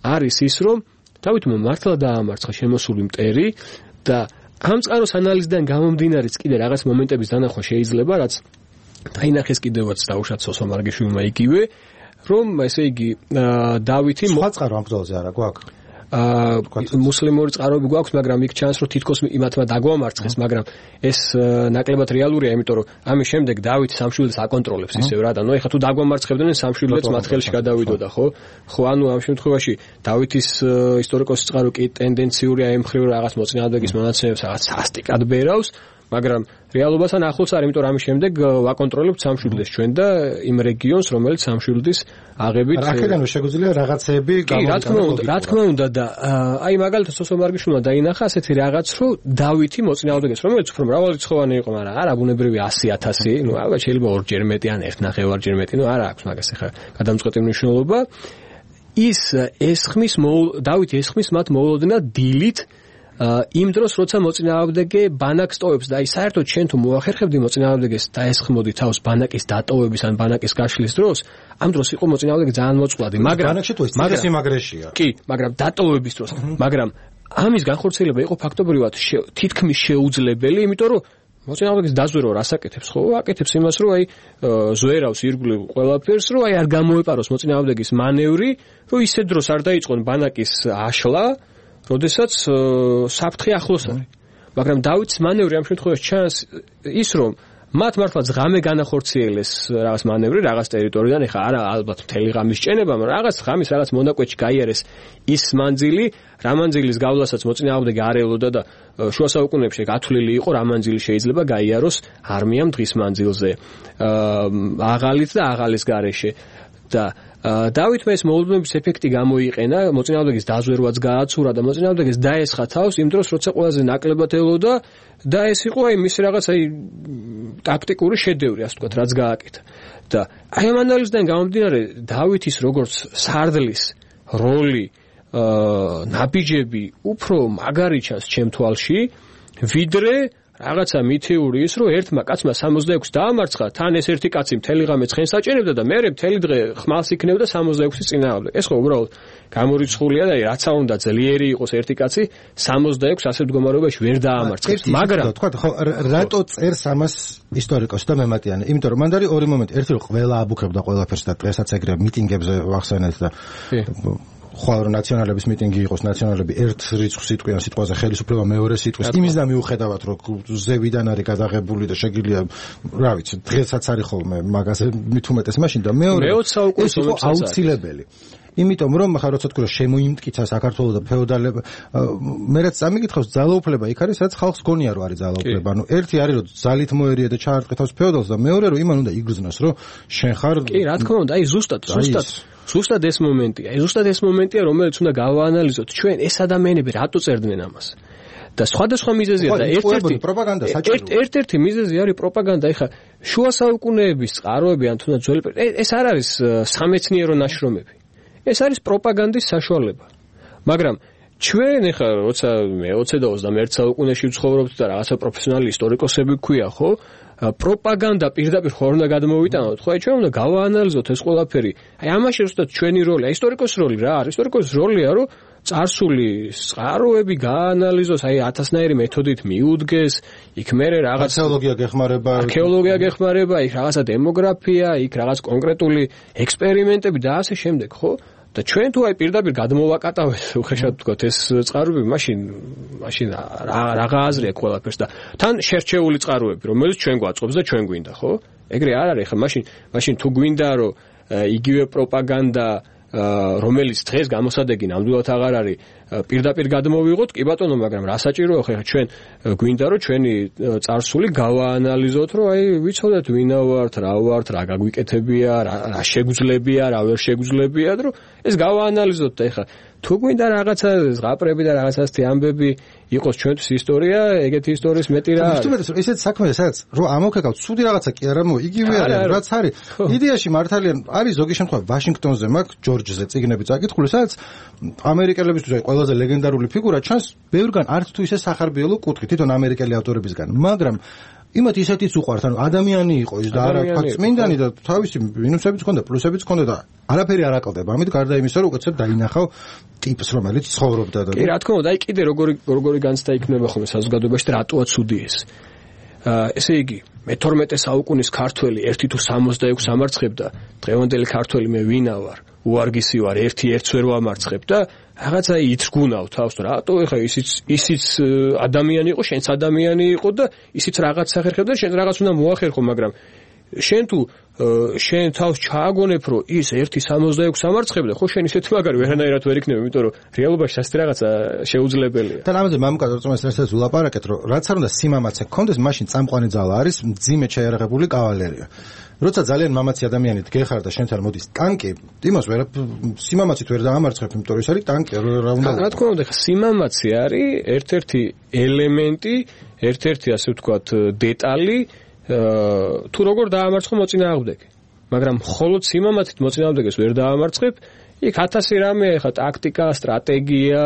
არის ის, რომ დავითმა მართლა დაამარცხა შემოსული მტერი და ამ წყაროს ანალიზიდან გამომდინარეც კიდე რაღაც მომენტების დანახვა შეიძლება, რაც დაინახეს კიდევაც დაუშვათ სოსო მარგიშვილმა იგივე, რომ ესე იგი დავითი სხვა წყარო ამ ბრძოლაზე არა გვაქვს? აა მუსლიმური წყაროები გვაქვს, მაგრამ იქ ჩანს, რომ თითქოს იმათმა დაგვამარცხეს, მაგრამ ეს ნაკლებად რეალურია, იმიტომ რომ ამის შემდეგ დავითი სამშვილდს აკონტროლებს ისევ რა და ნუ ეხლა თუ დაგვამარცხებდნენ სამშვილდეც მათ ხელში გადავიდოდა, ხო? ხო, ანუ ამ შემთხვევაში დავითის ისტორიკოსის წყარო კი ტენდენციურია ემხრივ რაღაც მოწინააღმდეგის მონაცემებს რაღაც სასტიკად ბერავს, მაგრამ რეალობასთან ახლოს არ, იმიტომ რომ ამის შემდეგ ვაკონტროლებთ სამშვილდეს ჩვენ და იმ რეგიონს, რომელიც სამშვილდის აღებით აქედან შეგვიძლია რაღაცეები გამოვიყენოთ. რა თქმა უნდა და აი მაგალითად სოსო მარგიშვილმა დაინახა ასეთი რაღაც, რომ დავითი მოწინააღმდეგეს, რომელიც უფრო მრავალრიცხოვანი იყო, მაგრამ არა ბუნებრივი ასი ათასი, ნუ ალბათ შეიძლება ორჯერ მეტი ან ერთ ნახევარჯერ მეტი, ნუ არა აქვს მაგას ახლა გადამწყვეტი მნიშვნელობა. ის ესხმის დავითი ესხმის მათ მოულოდნა დილით იმ დროს როცა მოწინააღმდეგე ბანაკს ტოვებს და აი საერთოდ შენ თუ მოახერხებდი მოწინააღმდეგეს დაესხმოდი თავს ბანაკის დატოვების ან ბანაკის გაშლის დროს ამ დროს იყო მოწინააღმდეგე ძალიან მოწყვლადი მაგრამ ბანაკში თუ ეს სიმაგრეშია კი მაგრამ დატოვების დროს მაგრამ ამის განხორციელება იყო ფაქტობრივად თითქმის შეუძლებელი იმიტომ რომ მოწინააღმდეგეს დაზვერო რას აკეთებს ხო აკეთებს იმას რომ აი ზვერავს ირგვლივ ყველაფერს რომ აი არ გამოეპაროს მოწინააღმდეგის მანევრი რომ ისე დროს არ დაიწყონ ბანაკის აშლა როდესაც საფრთხე ახლოს არის. მაგრამ დავითის მანევრი ამ შემთხვევაში ჩანს ის რომ მათ მართლაც ღამე განახორციელეს რაღაც მანევრი რაღაც ტერიტორიიდან, ეხლა არა ალბათ მთელი ღამის ჭენება, მაგრამ რაღაც ღამის რაღაც მონაკვეთში გაიარეს ის მანძილი, რა მანძილის გავლასაც მოწინააღმდეგე არ ელოდა და შუა საუკუნეებში გათვლილი იყო რა მანძილი შეიძლება გაიაროს არმიამ დღის მანძილზე. აღალით და აღალის გარეშე და დავითმა ეს მოულოდნობის ეფექტი გამოიყენა, მოწინააღმდეგის დაზვერვაც გააცურა და მოწინააღმდეგეს დაესხა თავს იმ დროს, როცა ყველაზე ნაკლებად ელოდა და ეს იყო აი მისი რაღაც აი ტაქტიკური შედევრი, ასე ვთქვათ, რაც გააკეთა. და აი ამ ანალიზიდან გამომდინარე, დავითის როგორც სარდლის როლი, ნაბიჯები უფრო მაგარი ჩანს ჩემ თვალში, ვიდრე რაღაცა მითეური ის, რომ ერთმა კაცმა სამოცდაექვსი დაამარცხა, თან ეს ერთი კაცი მთელი ღამე ცხენს აჭერებდა და მეორე მთელი დღე ხმალს იქნებდა სამოცდაექვსის წინააღმდეგ. ეს ხო უბრალოდ გამორიცხულია და რაცა უნდა ძლიერი იყოს ერთი კაცი სამოცდაექვსი ასეთ მდგომარეობაში ვერ დაამარცხებს. მაგრამ თქვა ხო რატო წერს ამას ისტორიკოსი და მემატიანე? იმიტომ რომ მან არის ორი მომენტი. ერთი რომ ყველა აბუქებდა ყველაფერს და დღესაც ეგრე მიტინგებზე ვახსენეთ და ხვალ რომ ნაციონალების მიტინგი იყოს, ნაციონალები ერთ რიცხვს იტყვიან სიტყვაზე ხელისუფლება მეორე სიტყვის. იმის და მიუხედავად რომ ზევიდან არის გადაღებული და შეგიძლია, რა ვიცი, დღესაც არის ხოლმე მაგაზე მით უმეტეს მაშინ და მეორე ეს იყო აუცილებელი. იმიტომ რომ ხა როცა თქვა შემოიმტკიცა საქართველოს და ფეოდალება, მე რაც წამიკითხავს ძალაუფლება იქ არის, სადაც ხალხს გონია რომ არის ძალაუფლება. ანუ ერთი არის რომ ძალით მოერია და ჩაარტყეთავს ფეოდალს და მეორე რომ იმან უნდა იგრძნოს რომ შენ ხარ კი, რა თქმა უნდა, აი ზუსტად, ზუსტად ზუსტად ეს მომენტია. აი ზუსტად ეს მომენტია, რომელიც უნდა გავაანალიზოთ ჩვენ ეს ადამიანები რატო წერდნენ ამას. და სხვადასხვა მიზეზია და ერთ-ერთი პროპაგანდა საჭიროა. ერთ-ერთი მიზეზი არის პროპაგანდა. ეხლა შუა საუკუნეების წყაროები ან თუნდაც ძველი ეს არ არის სამეცნიერო ნაშრომები. ეს არის პროპაგანდის საშუალება. მაგრამ ჩვენ ეხლა როცა მე ოცდაათი და ოცდამეერთე საუკუნეში ვცხოვრობთ და რაღაცა პროფესიონალი ისტორიკოსები გვქვია, ხო? პროპაგანდა პირდაპირ ხარ უნდა გადმოვიტანოთ, ხო? აი ჩვენ უნდა გავაანალიზოთ ეს ყველაფერი. აი ამაში ზუსტად ჩვენი როლი, აი ისტორიკოს როლი რა არის? ისტორიკოს როლია, რომ წარსული წყაროები გაანალიზოს, აი ათასნაირი მეთოდით მიუდგეს, იქ მერე რაღაც არქეოლოგია გეხმარება, არქეოლოგია გეხმარება, იქ რაღაცა დემოგრაფია, იქ რაღაც კონკრეტული ექსპერიმენტები და ასე შემდეგ, ხო? და ჩვენ თუ აი პირდაპირ გადმოვაკატავთ, უხეშად ვთქვათ, ეს წყაროები, მაშინ მაშინ რაღა აზრი აქვს ყველაფერს და თან შერჩეული წყაროები, რომელიც ჩვენ გვაწყობს და ჩვენ გვინდა, ხო? ეგრე არ არის, ხა მაშინ მაშინ თუ გვინდა, რომ იგივე პროპაგანდა რომელიც დღეს გამოსადეგი ნამდვილად აღარ არის პირდაპირ გადმოვიღოთ, კი ბატონო, მაგრამ რა საჭიროა ხა ჩვენ გვინდა რომ ჩვენი წარსული გავაანალიზოთ, რომ აი ვიცოდეთ ვინა ვართ, რა ვართ, რა გაგვიკეთებია, რა შეგვძლებია, რა ვერ შეგვძლებია, რომ ეს გავაანალიზოთ და ხა თუ გვინდა რაღაცა ზღაპრები და რაღაცასთი ამბები იყოს ჩვენთვის ისტორია, ეგეთი ისტორიის მეტი რა არის. ვთქვით, ესეც საქმეა, სადაც რო ამოვქეკავთ, ცუდი რაღაცა კი არა, მო იგივე არის, რაც არის. იდეაში მართალია არის ზოგი შემთხვევა ვაშინგტონზე მაქვს, ჯორჯზე წიგნები წაკითხული, სადაც ამერიკელებისთვის აი ყველაზე ლეგენდარული ფიგურა ჩანს ბევრგან არც თუ ისე სახარბიელო კუთხით, თვითონ ამერიკელი ავტორებისგან, მაგრამ იმათ ისეთიც უყვართ, ანუ ადამიანი იყო ის და არა თქვა წმინდანი და თავისი მინუსებიც ჰქონდა, პლუსებიც ჰქონდა და არაფერი არ აკლდება. ამით გარდა იმისა, რომ უკეთესად დაინახავ ტიპს, რომელიც ცხოვრობდა და კი, რა თქმა უნდა, აი კიდე როგორი როგორი განცდა იქნება ხოლმე საზოგადოებაში და რატოა ცუდი ეს. აა ესე იგი, მეთორმეტე საუკუნის ქართველი ერთი თუ სამოცდაექვსი ამარცხებდა, დღევანდელი ქართველი მე ვინა ვარ, უარგისი ვარ, ერთი ერთს ვერ ვამარცხებ და რაღაცა ითრგუნავ თავს, რატო ეხა ისიც ისიც ადამიანი იყო, შენც ადამიანი იყო და ისიც რაღაც სახერხებდა, შენ რაღაც უნდა მოახერხო, მაგრამ შენ თუ შენ თავს ჩააგონებ, რომ ის ერთი სამოცდაექვსი ამარცხებდა, ხო შენ ისეთი მაგარი ვერანაირად ვერ იქნება, იმიტომ რომ რეალობაში ასეთი რაღაცა შეუძლებელია. და ამაზე მამუკა რწმენას რასაც ულაპარაკეთ, რომ რაც არ უნდა სიმამაცე გქონდეს, მაშინ წამყვანი ძალა არის მძიმედ შეიარაღებული კავალერია. როცა ძალიან მამაცი ადამიანი დგეხარ და შენთან მოდის ტანკი, იმას ვერ სიმამაცით ვერ დაამარცხებ, იმიტომ რომ ეს არის ტანკი, რა უნდა. რა თქმა უნდა, სიმამაცი არის ერთ-ერთი ელემენტი, ერთ-ერთი ასე ვთქვათ დეტალი თუ როგორ დაამარცხო მოწინააღმდეგე. მაგრამ მხოლოდ სიმამაცით მოწინააღმდეგეს ვერ დაამარცხებ, იქ ათასი რამე, ხა ტაქტიკა, სტრატეგია,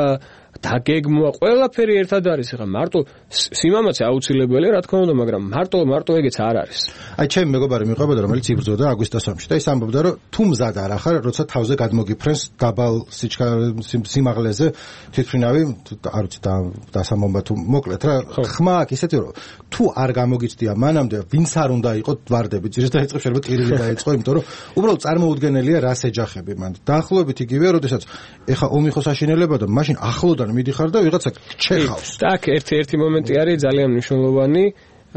დაგეგმვა, ყველაფერი ერთად არის. ხა მარტო სიმამაცე აუცილებელია, რა თქმა უნდა, მაგრამ მარტო მარტო ეგეც არ არის. აი ჩემი მეგობარი მიყვებოდა, რომელიც იბრძოდა აგვისტოს ომში და ის ამბობდა, რომ თუ მზად არ ახარ, როცა თავზე გადმოგიფრენს დაბალ სიმაღლეზე თვითმფრინავი, არ ვიცი დასამომბა თუ მოკლედ რა, ხმა აქვს ისეთი, რომ თუ არ გამოგიცდია მანამდე, ვინც არ უნდა იყოს ვარდები, ძირს დაიწყებს შეიძლება ტირილი დაიწყო, იმიტომ რომ უბრალოდ წარმოუდგენელია რას ეჯახები მან. დაახლოებით იგივეა, როდესაც ეხა ომი ხო საშინელებაა და მაშინ ახლოდან მიდიხარ და ვიღაცა ჩეხავს. Так, ერთი-ერთი მომენტი არის ძალიან მნიშვნელოვანი,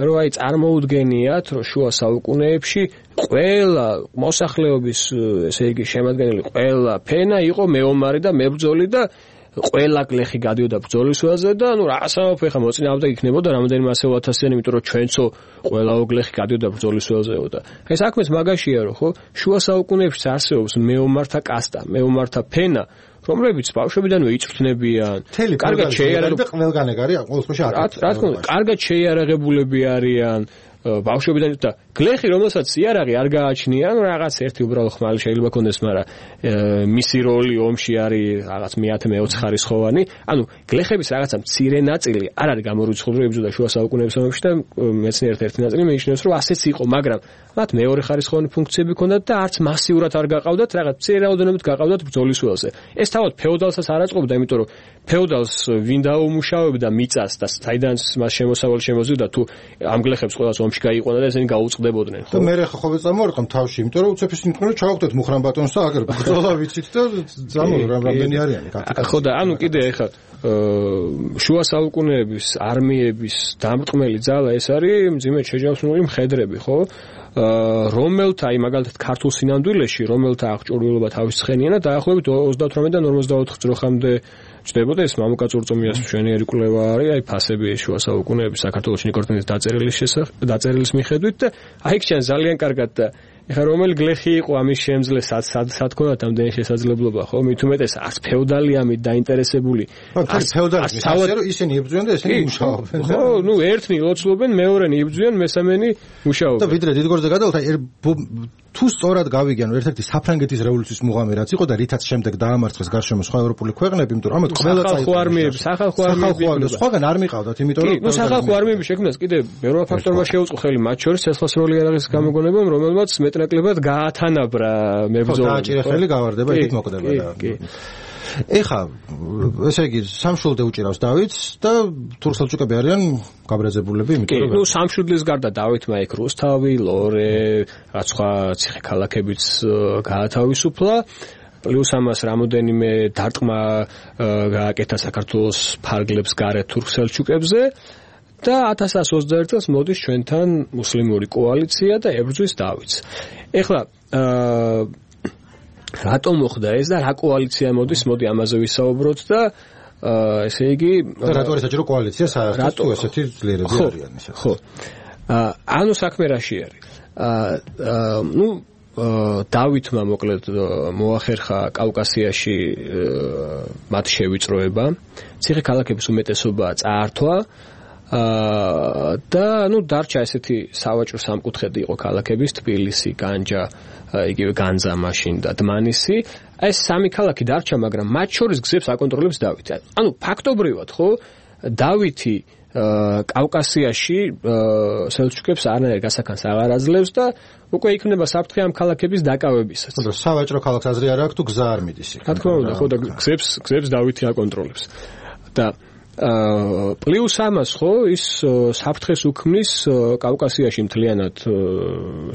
რომ აი წარმოუდგენიათ, რომ შუა საუკუნეებში ყველა მოსახლეობის, ესე იგი, შემადგენელი ყველა ფენა იყო მეომარი და მებრძოლი და ყველა გლეხი გადიოდა ბრძოლის ველზე და ნუ რა სამოფე ხა მოწინააღმდეგე იქნებოდა რამდენიმე ასეულ ათასიანი, იმიტომ რომ ჩვენცო ყველა გლეხი გადიოდა ბრძოლის ველზეო და ეს საქმეც მაგაშია, რომ ხო შუა საუკუნეებში არსებობს მეომართა კასტა, მეომართა ფენა, რომლებიც ბავშვებიდანვე იწვრთნებიან, კარგად შეიარაღებული და ყველგან ეგ არის, ყოველ შემთხვევაში არ. რა თქმა უნდა, კარგად შეიარაღებულები არიან, ბავშვებიდან და გლეხი, რომელსაც იარაღი არ გააჩნია, ანუ რაღაც ერთი უბრალო ხმალი შეიძლება ქონდეს, მაგრამ მისი როლი ომში არის რაღაც მეათე მეოცე ხარისხოვანი. ანუ გლეხების რაღაცა მცირე ნაწილი არ არის გამორიცხული, რომ იბრძოდა შუა საუკუნეების ომში და მეცნიერთა ერთი ნაწილი მენიშნებს, რომ ასეც იყო, მაგრამ მათ მეორე ხარისხოვანი ფუნქციები ჰქონდათ და არც მასიურად არ გაყავდათ, რაღაც მცირე რაოდენობით გაყავდათ ბრძოლის ველზე. ეს თავად ფეოდალსაც არ აწყობდა, იმიტომ რომ ფეოდალს ვინ დაუმუშავებდა მიწას და საიდანაც მას შემოსავალი შემოზიდოდა, თუ ამ გლეხებს ყველას ომში გაიყვანა და ესენი გაუწყდებოდნენ. და მე რა ხო წამოვარყამ თავში, იმიტომ რომ უცებ ისინი თქვენ რომ ჩავაგდეთ მუხრან ბატონს და აგერ ბრძოლა ვიცით და ზამო რამდენი არიანი კარტიკა. ხო და ანუ კიდე ეხლა შუა საუკუნეების არმიების დამრტყმელი ძალა ეს არის მძიმედ შეჯავსნული მხედრები, ხო? რომელთა აი მაგალითად ქართულ სინამდვილეში, რომელთა აღჭურვილობა თავის ცხენიანა დაახლოებით ოცდათვრამეტიდან ორმოცდაოთხ ძროხამდე ჩდებოდა. ეს მამუკა წურწუმიას მშვენიერი კვლევა არის, აი ფასები შუა საუკუნეების საქართველოს ნიკორტინის დაწერილის შესახებ, დაწერილის მიხედვით და აი ჩვენ ძალიან კარგად და ეხლა რომელი გლეხი იყო ამის შემძლე სად ქონდათ ამდენი შესაძლებლობა, ხო? მით უმეტეს არც ფეოდალი ამით დაინტერესებული. არც ფეოდალი ისე რომ ისინი იბრძვიან და ესენი მუშაობენ. ხო, ნუ ერთნი ლოცულობენ, მეორენი იბრძვიან, მესამენი მუშაობენ. და ვიდრე დიდგორზე გადავთ, აი თუ სწორად გავიგიან, რომ ერთ-ერთი საფრანგეთის რევოლუციის მუღამი რაც იყო და რითაც შემდეგ დაამარცხეს გარშემო სხვა ევროპული ქვეყნები, იმიტომ რომ ამათ ყველა სახალხო არმიები, სხვაგან არ მიყავდათ, იმიტომ რომ ნუ სახალხო არმიები შექმნას კიდე ბევრმა ფაქტორმა შეუწყო ხელი, მათ შორის ცეცხლსროლი იარაღის გამოგონებამ, რომელმაც მეტნაკლებად გაათანაბრა მებრძოლები. დააჭირა ხელი გავარდება, იქ მოკვდება და ეხა ესე იგი სამშვილდე უჭირავს დავითს და თურქ-სელჩუკები არიან გაბრაზებულები, იმიტომ რომ ნუ სამშვილდის გარდა დავითმა იქ რუსთავი, ლორე, რაც სხვა ციხე ქალაქებიც გაათავისუფლა. პლუს ამას რამოდენიმე დარტყმა გააკეთა საქართველოს ფარგლებს გარეთ თურქ-სელჩუკებზე და ათას ათას ოცდაერთი წელს მოდის ჩვენთან მუსლიმური კოალიცია და ებრძვის დავითს. ეხლა რატომ მოხდა ეს და რა კოალიცია მოდის, მოდი ამაზე ვისაუბროთ და ესე იგი რატო არის საჭირო კოალიცია საერთოდ თუ ესეთი ძლიერები არიან ისე. ხო. ანუ საქმე რაში არის? ნუ დავითმა მოკლედ მოახერხა კავკასიაში მათ შევიწროება, ციხე ქალაქების უმეტესობა წაართვა და ნუ დარჩა ესეთი სავაჭრო სამკუთხედი იყო ქალაქების თბილისი, განჯა, იგივე განძა მაშინ და დმანისი. ეს სამი ქალაქი დარჩა, მაგრამ მათ შორის გზებს აკონტროლებს დავითი. ანუ ფაქტობრივად ხო დავითი კავკასიაში სელჩუკებს არანაირ გასახანს აღარ აძლევს და უკვე იქნება საფრთხე ამ ქალაქების დაკავებისას. ხო, სავაჭრო ქალაქს აზრი არ აქვს თუ გზა არ მიდის იქ. რა თქმა უნდა, ხო და გზებს გზებს დავითი აკონტროლებს. და პლუს ამას ხო ის საფრთხეს უქმნის კავკასიაში მთლიანად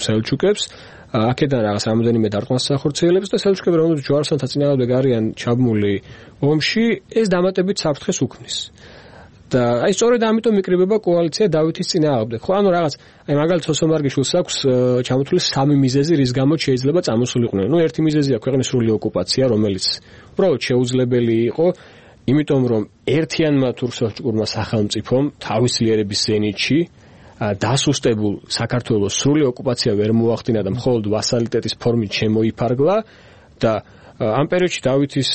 სელჩუკებს, აქედან რაღაც რამოდენიმე დარტყმას ახორციელებს და სელჩუკები რომელთაც ჯვაროსანთა წინააღმდეგ არიან ჩაბმული ომში, ეს დამატებით საფრთხეს უქმნის. და აი სწორედ ამიტომ იკრიბება კოალიცია დავითის წინააღმდეგ. ხო, ანუ რაღაც აი მაგალითად სოსო მარგიშვილს აქვს ჩამოთვლილი სამი მიზეზი, რის გამოც შეიძლება წამოსულიყვნენ. ნუ ერთი მიზეზია ქვეყნის სრული ოკუპაცია, რომელიც უბრალოდ შეუძლებელი იყო, იმიტომ რომ ერთიანმა თურქ-სელჩუკურმა სახელმწიფომ თავის ლიერების ზენიტში დასუსტებულ საქართველოს სრული ოკუპაცია ვერ მოახდინა და მხოლოდ ვასალიტეტის ფორმით შემოიფარგლა და ამ პერიოდში დავითის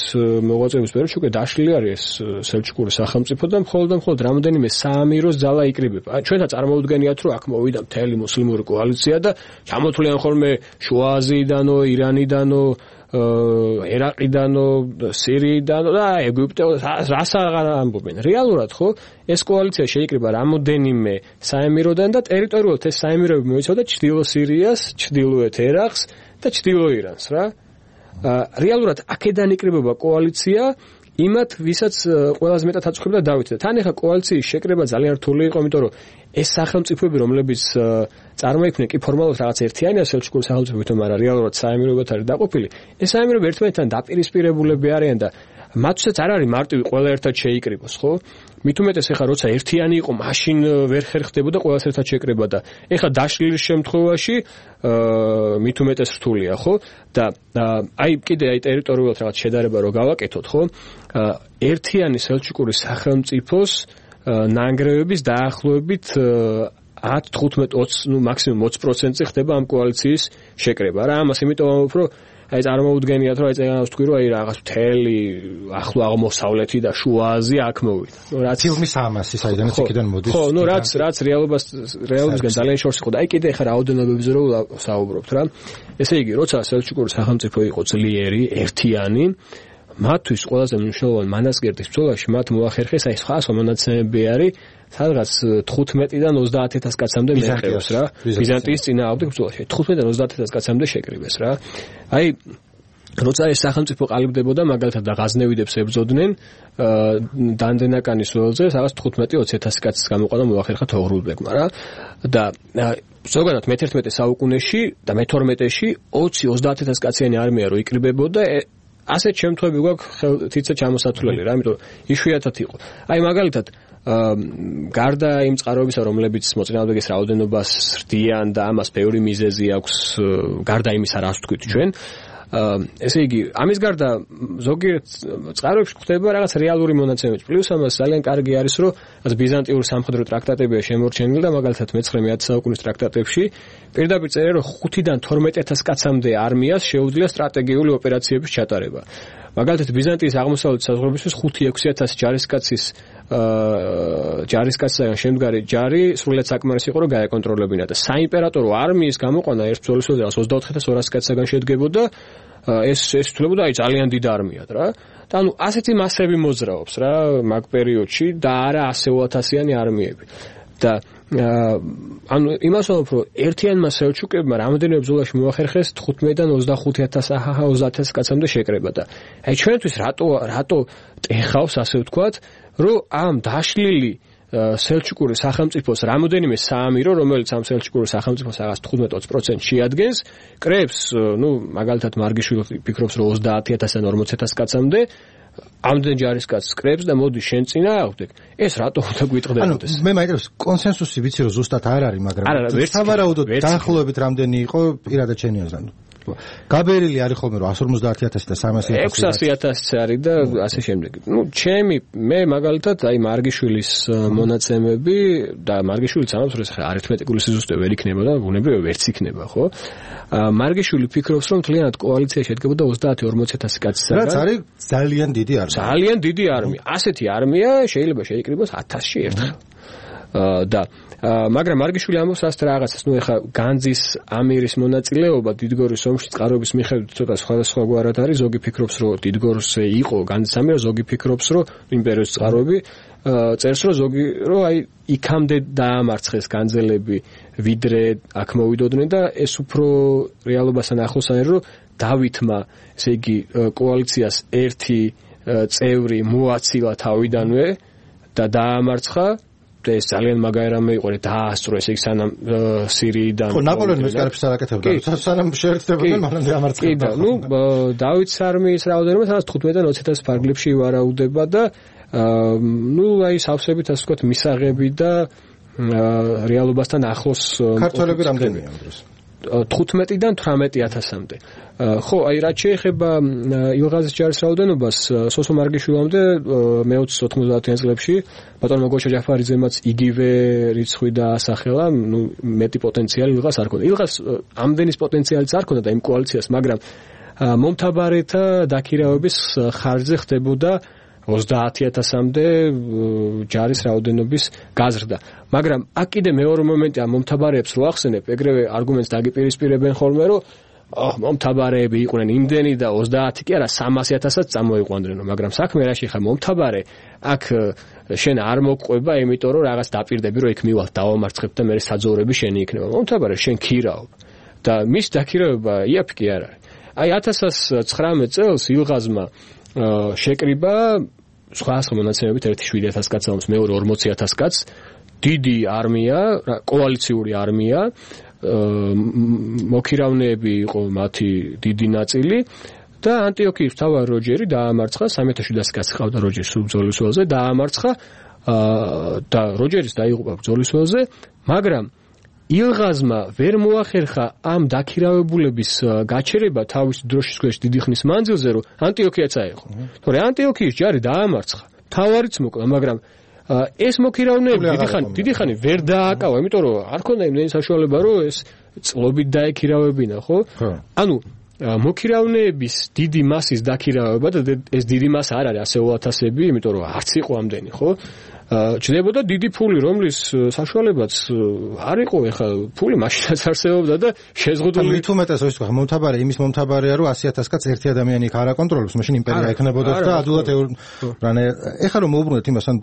მოღვაწეობის პერიოდში უკვე დაშლილი არის სელჩუკური სახელმწიფო და მხოლოდ და მხოლოდ რამდენიმე საამიროს ძალა იკრიბება. ჩვენთან წარმოუდგენიათ, რომ აქ მოვიდა მთელი მუსლიმური კოალიცია და ჩამოთვლიან ხოლმე შუა აზიიდანო, ირანიდანო, ერაყიდანო, სირიიდანო და ეგვიპტეო, რას აღარ ამბობენ. რეალურად ხო, ეს კოალიცია შეიკრიბა რამოდენიმე საემიროდან და ტერიტორიულად ეს საემიროები მოიცავდა ჩრდილო სირიას, ჩრდილოეთ ერაყს და ჩრდილო ირანს რა. რეალურად აქედან იკრიბება კოალიცია იმათ, ვისაც ყველაზე მეტად აწუხებდა დავითი და თან ეხა კოალიციის შეკრება ძალიან რთული იყო, იმიტომ რომ ეს სახელმწიფოები, რომლებიც წარმოიქმნენ კი ფორმალურად რაღაც ერთიანია სელჩუკური სახელმწიფოებთან, მაგრამ რეალურად საემიროებად არის დაყოფილი. ეს საემიროები ერთმანეთთან დაპირისპირებულები არიან და მათთვისაც არ არის მარტივი ყველა ერთად შეიკრიბოს, ხო? მით უმეტეს ეხა როცა ერთიანი იყო, მაშინ ვერ ხერხდებოდა ყველას ერთად შეკრება და ეხა დაშლილის შემთხვევაში მით უმეტეს რთულია, ხო? და აი კიდე აი ტერიტორიულად რაღაც შედარება რო გავაკეთოთ, ხო? ერთიანი სელჩუკური სახელმწიფოს ნანგრევების დაახლოებით ათ, თხუთმეტ, ოცი, ნუ მაქსიმუმ ოცი პროცენტი ხდება ამ კოალიციის შეკრება. რა ამას იმიტომ ამბობ, რომ აი წარმოუდგენიათ, რომ აი წეგანავს თქვი, რომ აი რაღაც მთელი ახლო აღმოსავლეთი და შუა აზია აქ მოვიდა. ნუ რაც ფილმის ამასი საიდანაც იქიდან მოდის. ხო, ნუ რაც რაც რეალობას რეალობისგან ძალიან შორს იყო და აი კიდე ხა რაოდენობებზე რო საუბრობთ რა. ესე იგი, როცა სელჩუკური სახელმწიფო იყო ძლიერი, ერთიანი, მათთვის ყველაზე მნიშვნელოვანი მანასგერდის ბრძოლაში მათ მოახერხეს აი სხვა სხვა მონაცემები არის სადღაც თხუთმეტიდან ოცდაათ ათას კაცამდე მიყევს რა ბიზანტიის წინააღმდეგ ბრძოლაში თხუთმეტიდან ოცდაათ ათას კაცამდე შეკრიბეს რა აი როცა ეს სახელმწიფო ყალიბდებოდა მაგალითად და ღაზნევიდებს ებრძოდნენ დანდენაკანის ველზე სადღაც თხუთმეტი ოცი ათასი კაცის გამოყვანა მოახერხა თოღრულბეგმა რა და ზოგადად მეთერთმეტე საუკუნეში და მეთორმეტეში ოცი ოცდაათ ათას კაციანი არმია რო იკრიბებოდა ასეთ შემთხვევები გვაქვს თითქოს ჩამოსათვლელი რა, იმიტომ იშვიათად იყო. აი მაგალითად გარდა იმ წყაროებისა, რომლებიც მოწინააღმდეგეს რაოდენობას სრდიან და ამას ბევრი მიზეზი აქვს, გარდა იმისა, რას ვთქვით ჩვენ, ესე იგი, ამის გარდა ზოგიერთ წყაროებში ხდება რაღაც რეალური მონაცემები. პლუს ამას ძალიან კარგი არის, რომ ბიზანტიურ სამხედრო ტრაქტატებია შემორჩენილი და მაგალითად მეცხრე-მეათე საუკუნის ტრაქტატებში პირდაპირ წერია, რომ ხუთიდან თორმეტ ათას კაცამდე არმიას შეუძლია სტრატეგიული ოპერაციების ჩატარება. მაგალითად ბიზანტიის აღმოსავლეთ საზღვრებისთვის ხუთი ექვსი ათასი ჯარისკაცის ჯარისკაცისგან შემდგარი ჯარი სრულიად საკმარისი იყო, რომ გაეკონტროლებინა და საიმპერატორო არმიის გამოყვანა ერთ ბრძოლის დროს ოცდაოთხ ათას ორასი კაცისგან შედგებოდა ეს ეს თვლებოდა აი ძალიან დიდ არმიად რა. და ანუ ასეთი მასები მოძრაობს რა მაგ პერიოდში და არა ასეულ ათასიანი არმიები. და ანუ იმას ვამბობ, რომ ერთიანმა სელჩუკებმა რამდენიმე ბრძოლაში მოახერხეს თხუთმეტიდან ოცდახუთი ათას აჰა ოცდაათ ათას კაცამდე შეკრება და აი ჩვენთვის რატო რატო ტეხავს ასე ვთქვათ, რომ ამ დაშლილი სელჩუკური სახელმწიფოს რამოდენიმე საამირო, რომელიც ამ სელჩუკური სახელმწიფოს რაღაც თხუთმეტ ოცი პროცენტს შეადგენს, კრებს, ნუ მაგალითად მარგიშვილი ფიქრობს, რომ ოცდაათი ათასიდან ორმოცი ათას კაცამდე ამდენ ჯარისკაცს კრებს და მოდი შენ წინააღმდეგ. ეს რატო უნდა გვიტყდებოდეს? ანუ მე მაინტერესებს კონსენსუსი ვიცი რომ ზუსტად არ არის, მაგრამ სავარაუდოდ დაახლოებით რამდენი იყო პირადად შენი აზრით? გაბერილი არის ხოლმე რომ εκατს ორმოცდაათი ათასი და სამასი ათასი ექვსასი ათასი არის და ასე შემდეგ. ნუ ჩემი მე მაგალითად აი მარგიშვილის მონაცემები და მარგიშვილიც ამბობს რომ ხა არითმეტიკული სიზუსტე ვერ იქნება და ბუნებრივია ვერც იქნება, ხო? მარგიშვილი ფიქრობს რომ მთლიანად კოალიცია შედგებოდა ოცდაათი ორმოცი ათასი კაცისგან. რაც არის ძალიან დიდი არმია. ძალიან დიდი არმია. ასეთი არმია შეიძლება შეიკრიბოს ათასში ერთხელ. და მაგრამ მარგიშვილი ამბობს ასეთ რაღაცას, ნუ ეხა განძის ამირის მონაწილეობა დიდგორის ომში წყაროების მიხედვით ცოტა სხვადასხვაგვარად არის. ზოგი ფიქრობს, რომ დიდგორზე იყო განძის ამირა, ზოგი ფიქრობს, რომ იმპერიის წყაროები წერს, რომ ზოგი რომ აი იქამდე დაამარცხეს განძელები, ვიდრე აქ მოვიდოდნენ და ეს უფრო რეალობასთან ახლოს არის, რომ დავითმა, ესე იგი, კოალიციას ერთი წევრი მოაცილა თავიდანვე და დაამარცხა და ეს ძალიან მაგარი რამე იყო, რომ დაასწრო ესე იგი სანამ სირიიდან ხო ნაპოლეონი მეცხრეებს არ აკეთებდა, სანამ შეერთდებოდნენ, მაგრამ დაამარცხა. კი და ნუ დავითის არმიის რაოდენობა სადაც თხუთმეტიდან ოცი ათას ფარგლებში ვარაუდება და ნუ აი სავსებით ასე ვთქვათ მისაღები და რეალობასთან ახლოს ქართველები რამდენია ამ დროს? თხუთმეტიდან თვრამეტი ათასამდე. ხო, აი რაც შეეხება ილღაზის ჯარის რაოდენობას, სოსო მარგიშვილამდე მეოცე ოთხმოცდაათიან წლებში ბატონმა გოჩა ჯაფარიძემაც იგივე რიცხვი დაასახელა, ნუ მეტი პოტენციალი ილღას არ ქონდა. ილღას ამდენის პოტენციალიც არ ქონდა და იმ კოალიციას, მაგრამ მომთაბარეთა დაქირავების ხარჯზე ხდებოდა ოცდაათი ათასამდე ჯარის რაოდენობის გაზრდა. მაგრამ აქ კიდე მეორე მომენტია მომთაბარეებს რო ახსენებ, ეგრევე არგუმენტს დაგიპირისპირებენ ხოლმე, რომ აჰ, მომთაბარეები იყვნენ იმდენი და ოცდაათი კი არა სამასი ათასაც წამოიყვანდნენ, მაგრამ საქმე რაში ხა მომთაბარე აქ შენ არ მოგყვება, იმიტომ რომ რაღაც დაპირდები რომ იქ მივალ დავამარცხებ და მე საძოვრები შენი იქნება. მომთაბარე შენ ქირავ და მის დაქირავება იაფი კი არ არის. აი ათას ცხრამეტ წელს ილღაზმა შეკრიბა სხვა სხვა მონაცემებით ერთი შვიდი ათას კაცს ამს მეორე ორმოცი ათას კაცს დიდი არმია, კოალიციური არმია, მოქირავნეები იყო მათი დიდი ნაწილი და ანტიოქიის მთავარი როჯერი დაამარცხა სამი ათას შვიდას კაცი ყავდა როჯერის ბრძოლის ველზე დაამარცხა და როჯერის დაიღუპა ბრძოლის ველზე, მაგრამ ილღაზმა ვერ მოახერხა ამ დაქირავებულების გაჩერება თავის დროშის ქვეშ დიდი ხნის მანძილზე, რომ ანტიოქიაც აეღო. თორე ანტიოქიის ჯარი დაამარცხა, თავარიც მოკლა, მაგრამ ეს მოქირავნეები დიდი ხანი დიდი ხანი ვერ დააკავა, იმიტომ რომ არ ქონდა იმდენი საშუალება, რომ ეს წლობით დაექირავებინა, ხო? ანუ მოქირავნეების დიდი მასის დაქირავება და ეს დიდი მასა არ არის ასეულ ათასები, იმიტომ რომ არც იყო ამდენი, ხო? ჩნდებოდა დიდი ფული, რომლის საშუალებაც არ იყო, ეხლა ფული მაშინაც არსებობდა და შეზღუდული. მით უმეტეს ის თქვა, მომთაბარე იმის მომთაბარეა, რომ ასი ათას კაც ერთი ადამიანი იქ არ აკონტროლებს, მაშინ იმპერია ექნებოდა და ადვილად რანე ეხლა რომ მოუბრუნდეთ იმას, ან